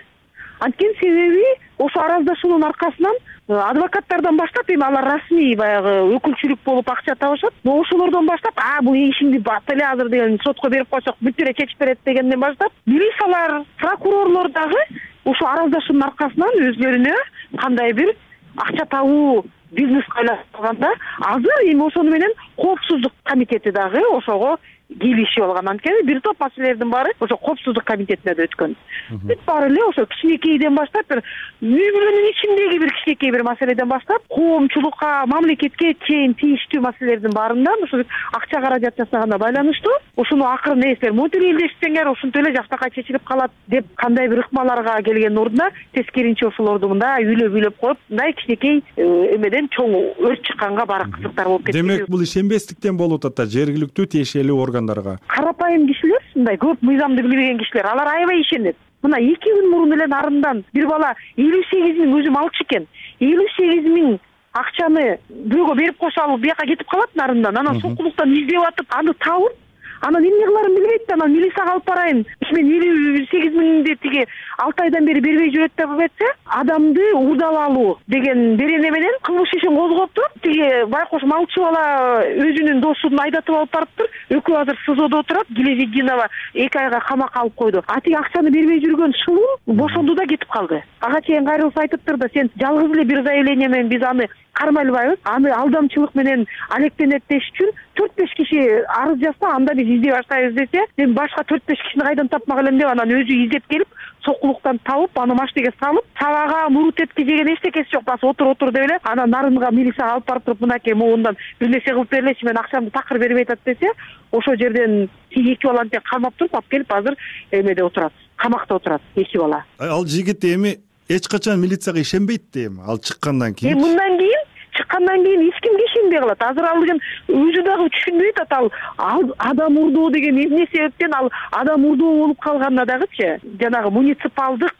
Анткени себеби ошо араздашуунун аркасынан адвокаттардан баштап эми алар расмий баягы өкүлчүлүк болуп акча табышат. Но ошолордон баштап, бул ишимди бат эле азыр деген сотко берип койсок бүт эле чечип берет дегенден баштап, милициялар, прокурорлор дагы ошо араздашуунун аркасынан өзлөрүнө кандай бир акча табуу бизнес айлашып калганда, азыр эми ошону менен коопсуздук комитети дагы ошого келишип алган. Анткени бир топ маселелердин баары ошо коопсуздук комитетине да өткөн. Бүт баары эле ошо кичинекейден баштап бир үй бүлөнүн ичиндеги бир кичинекей бир маселеден баштап коомчулукка, мамлекетке чейин тийиштүү маселелердин баарында ошо акча каражат жасаганга байланыштуу ошону акырын эстер монтип элдешсеңер ушинтип эле жактакай чечилип калат деп кандай бир ыкмаларга келгендин ордуна тескеринче ошолорду мындай үйлөп коюп, мындай кичинекей эмеден чоң өрт чыкканга баары кызыктар болуп кетти. Демек бул ишенбестиктен болуп атат жергиликтүү тиешелүү органдарга. Карапайым кишилер, мындай көп мыйзамды билбеген кишилер, алар аябай ишенет. Мына 2 күн мурун эле нарындан бир бала 58 миң өзүм алчу экен. 58 миң акчаны бирөөгө берип койсо алып бияка кетип калат нарындан. Анан сокулуктан издеп атып, аны табып, Анан эмне кыларын билбейт да, анан милицияга алып барайын. Мен 58 миңди тиги 6 айдан бери бербей жүрөт деп айтса, адамды уурдап алуу деген берене менен кылмыш ишин козгоптур. Тиги байкош малчы бала өзүнүн досун айдатып алып барыптыр. Экөө азыр СИЗОдо отурат. Гилезиддинова 2 айга камакка алып койду. А тиги акчаны бербей жүргөн шылым бошонду да кетип калды. Ага чейин кайрылып айтыптыр да, сен жалгыз эле бир заявление менен биз аны кармай албайбыз. Аны алдамчылык менен алектенет деш үчүн 4-5 киши арыз жазса, анда биз издей баштайбыз десе, мен башка 4-5 кишини кайдан тапмак элем деп анан өзү издеп келип, сокулуктан табып, аны машинеге салып, сабага мурут эткизген эчтекеси жок, басы отур деп эле, анан нарынга милицияга алып барып туруп, мынакей моундан бир нерсе кылып берлечи, мен акчамды такыр бербей атат десе, ошол жерден 2 баланы тең камап туруп алып келип азыр эмеде отурат, камакта отурат 2 бала. Ал жигит эми эч качан милицияга ишенбейт дейм. Ал чыккандан кийин. Мындан кийин эч кимге ишенбей калат. Азыр ал деген өзү дагы түшүнбөйт атат. Ал адам урдоо деген эмне себептен ал адам урдоо болуп калганына дагычы, жанагы муниципалдык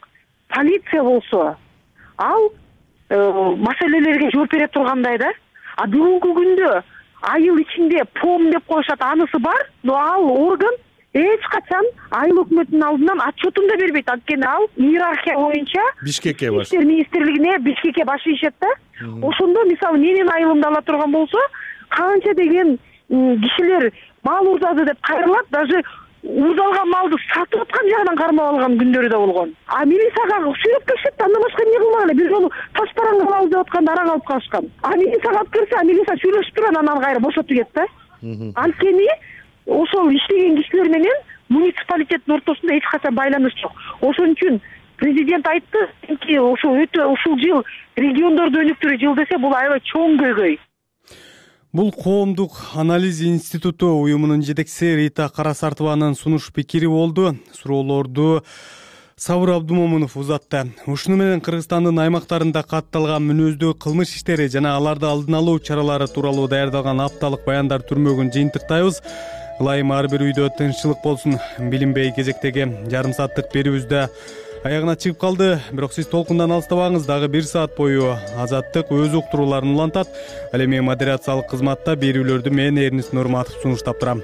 полиция болсо, ал маселелерге жооп бере тургандай да. А бүгүнкү күндө айыл ичинде ПОМ деп коюшат, анысы бар, но ал орган эч качан айыл өкмөтүнүн алдынан отчетун да бербейт. Анткени ал иерархия боюнча Бишкекке баш. Иштер министрлигине Бишкекке баш ийишет да. Ошондо мисалы менин айылымды ала турган болсо, канча деген кишилер мал урдады деп кайрылат, даже урдалган малды сатып аткан жагынан кармап алган күндөрү да болгон. А милицияга сүйлөп келишет, андан башка эмне кылмак эле? Бир жолу таш бараң алабыз деп атканда араң алып калышкан. А милицияга алып келсе, милиция сүйлөшүп туруп анан кайра бошотуп кетет да. Анткени ошол иштеген кишилер менен муниципалитеттин ортосунда эч качан байланыш жок. Ошон үчүн президент айтты ки ушул жыл региондорду өнүктүрүү жыл десе, бул аябай чоң көйгөй. Бул коомдук анализ институту уюмунун жетекчиси Рита Карасартованын сунуш пикири болду. Суроолорду Сабыр Абдумомунов узатты. Ушуну менен Кыргызстандын аймактарында катталган мүнөздүү кылмыш иштери жана аларды алдын алуу чаралары тууралуу даярдалган апталык баяндар түрмөгүн жыйынтыктайбыз. Ылайым ар бир үйдө тынччылык болсун. Билинбей кезектеги жарым сааттык берүүбүздө аягына чыгып калды. Бирок сиз толкундан алыстабаңыз, дагы 1 саат бою Азаттык өз уктурууларын улантат. Ал эми модерациялык кызматта берүүлөрдү мен Эрнис Нурматов сунуштап турам.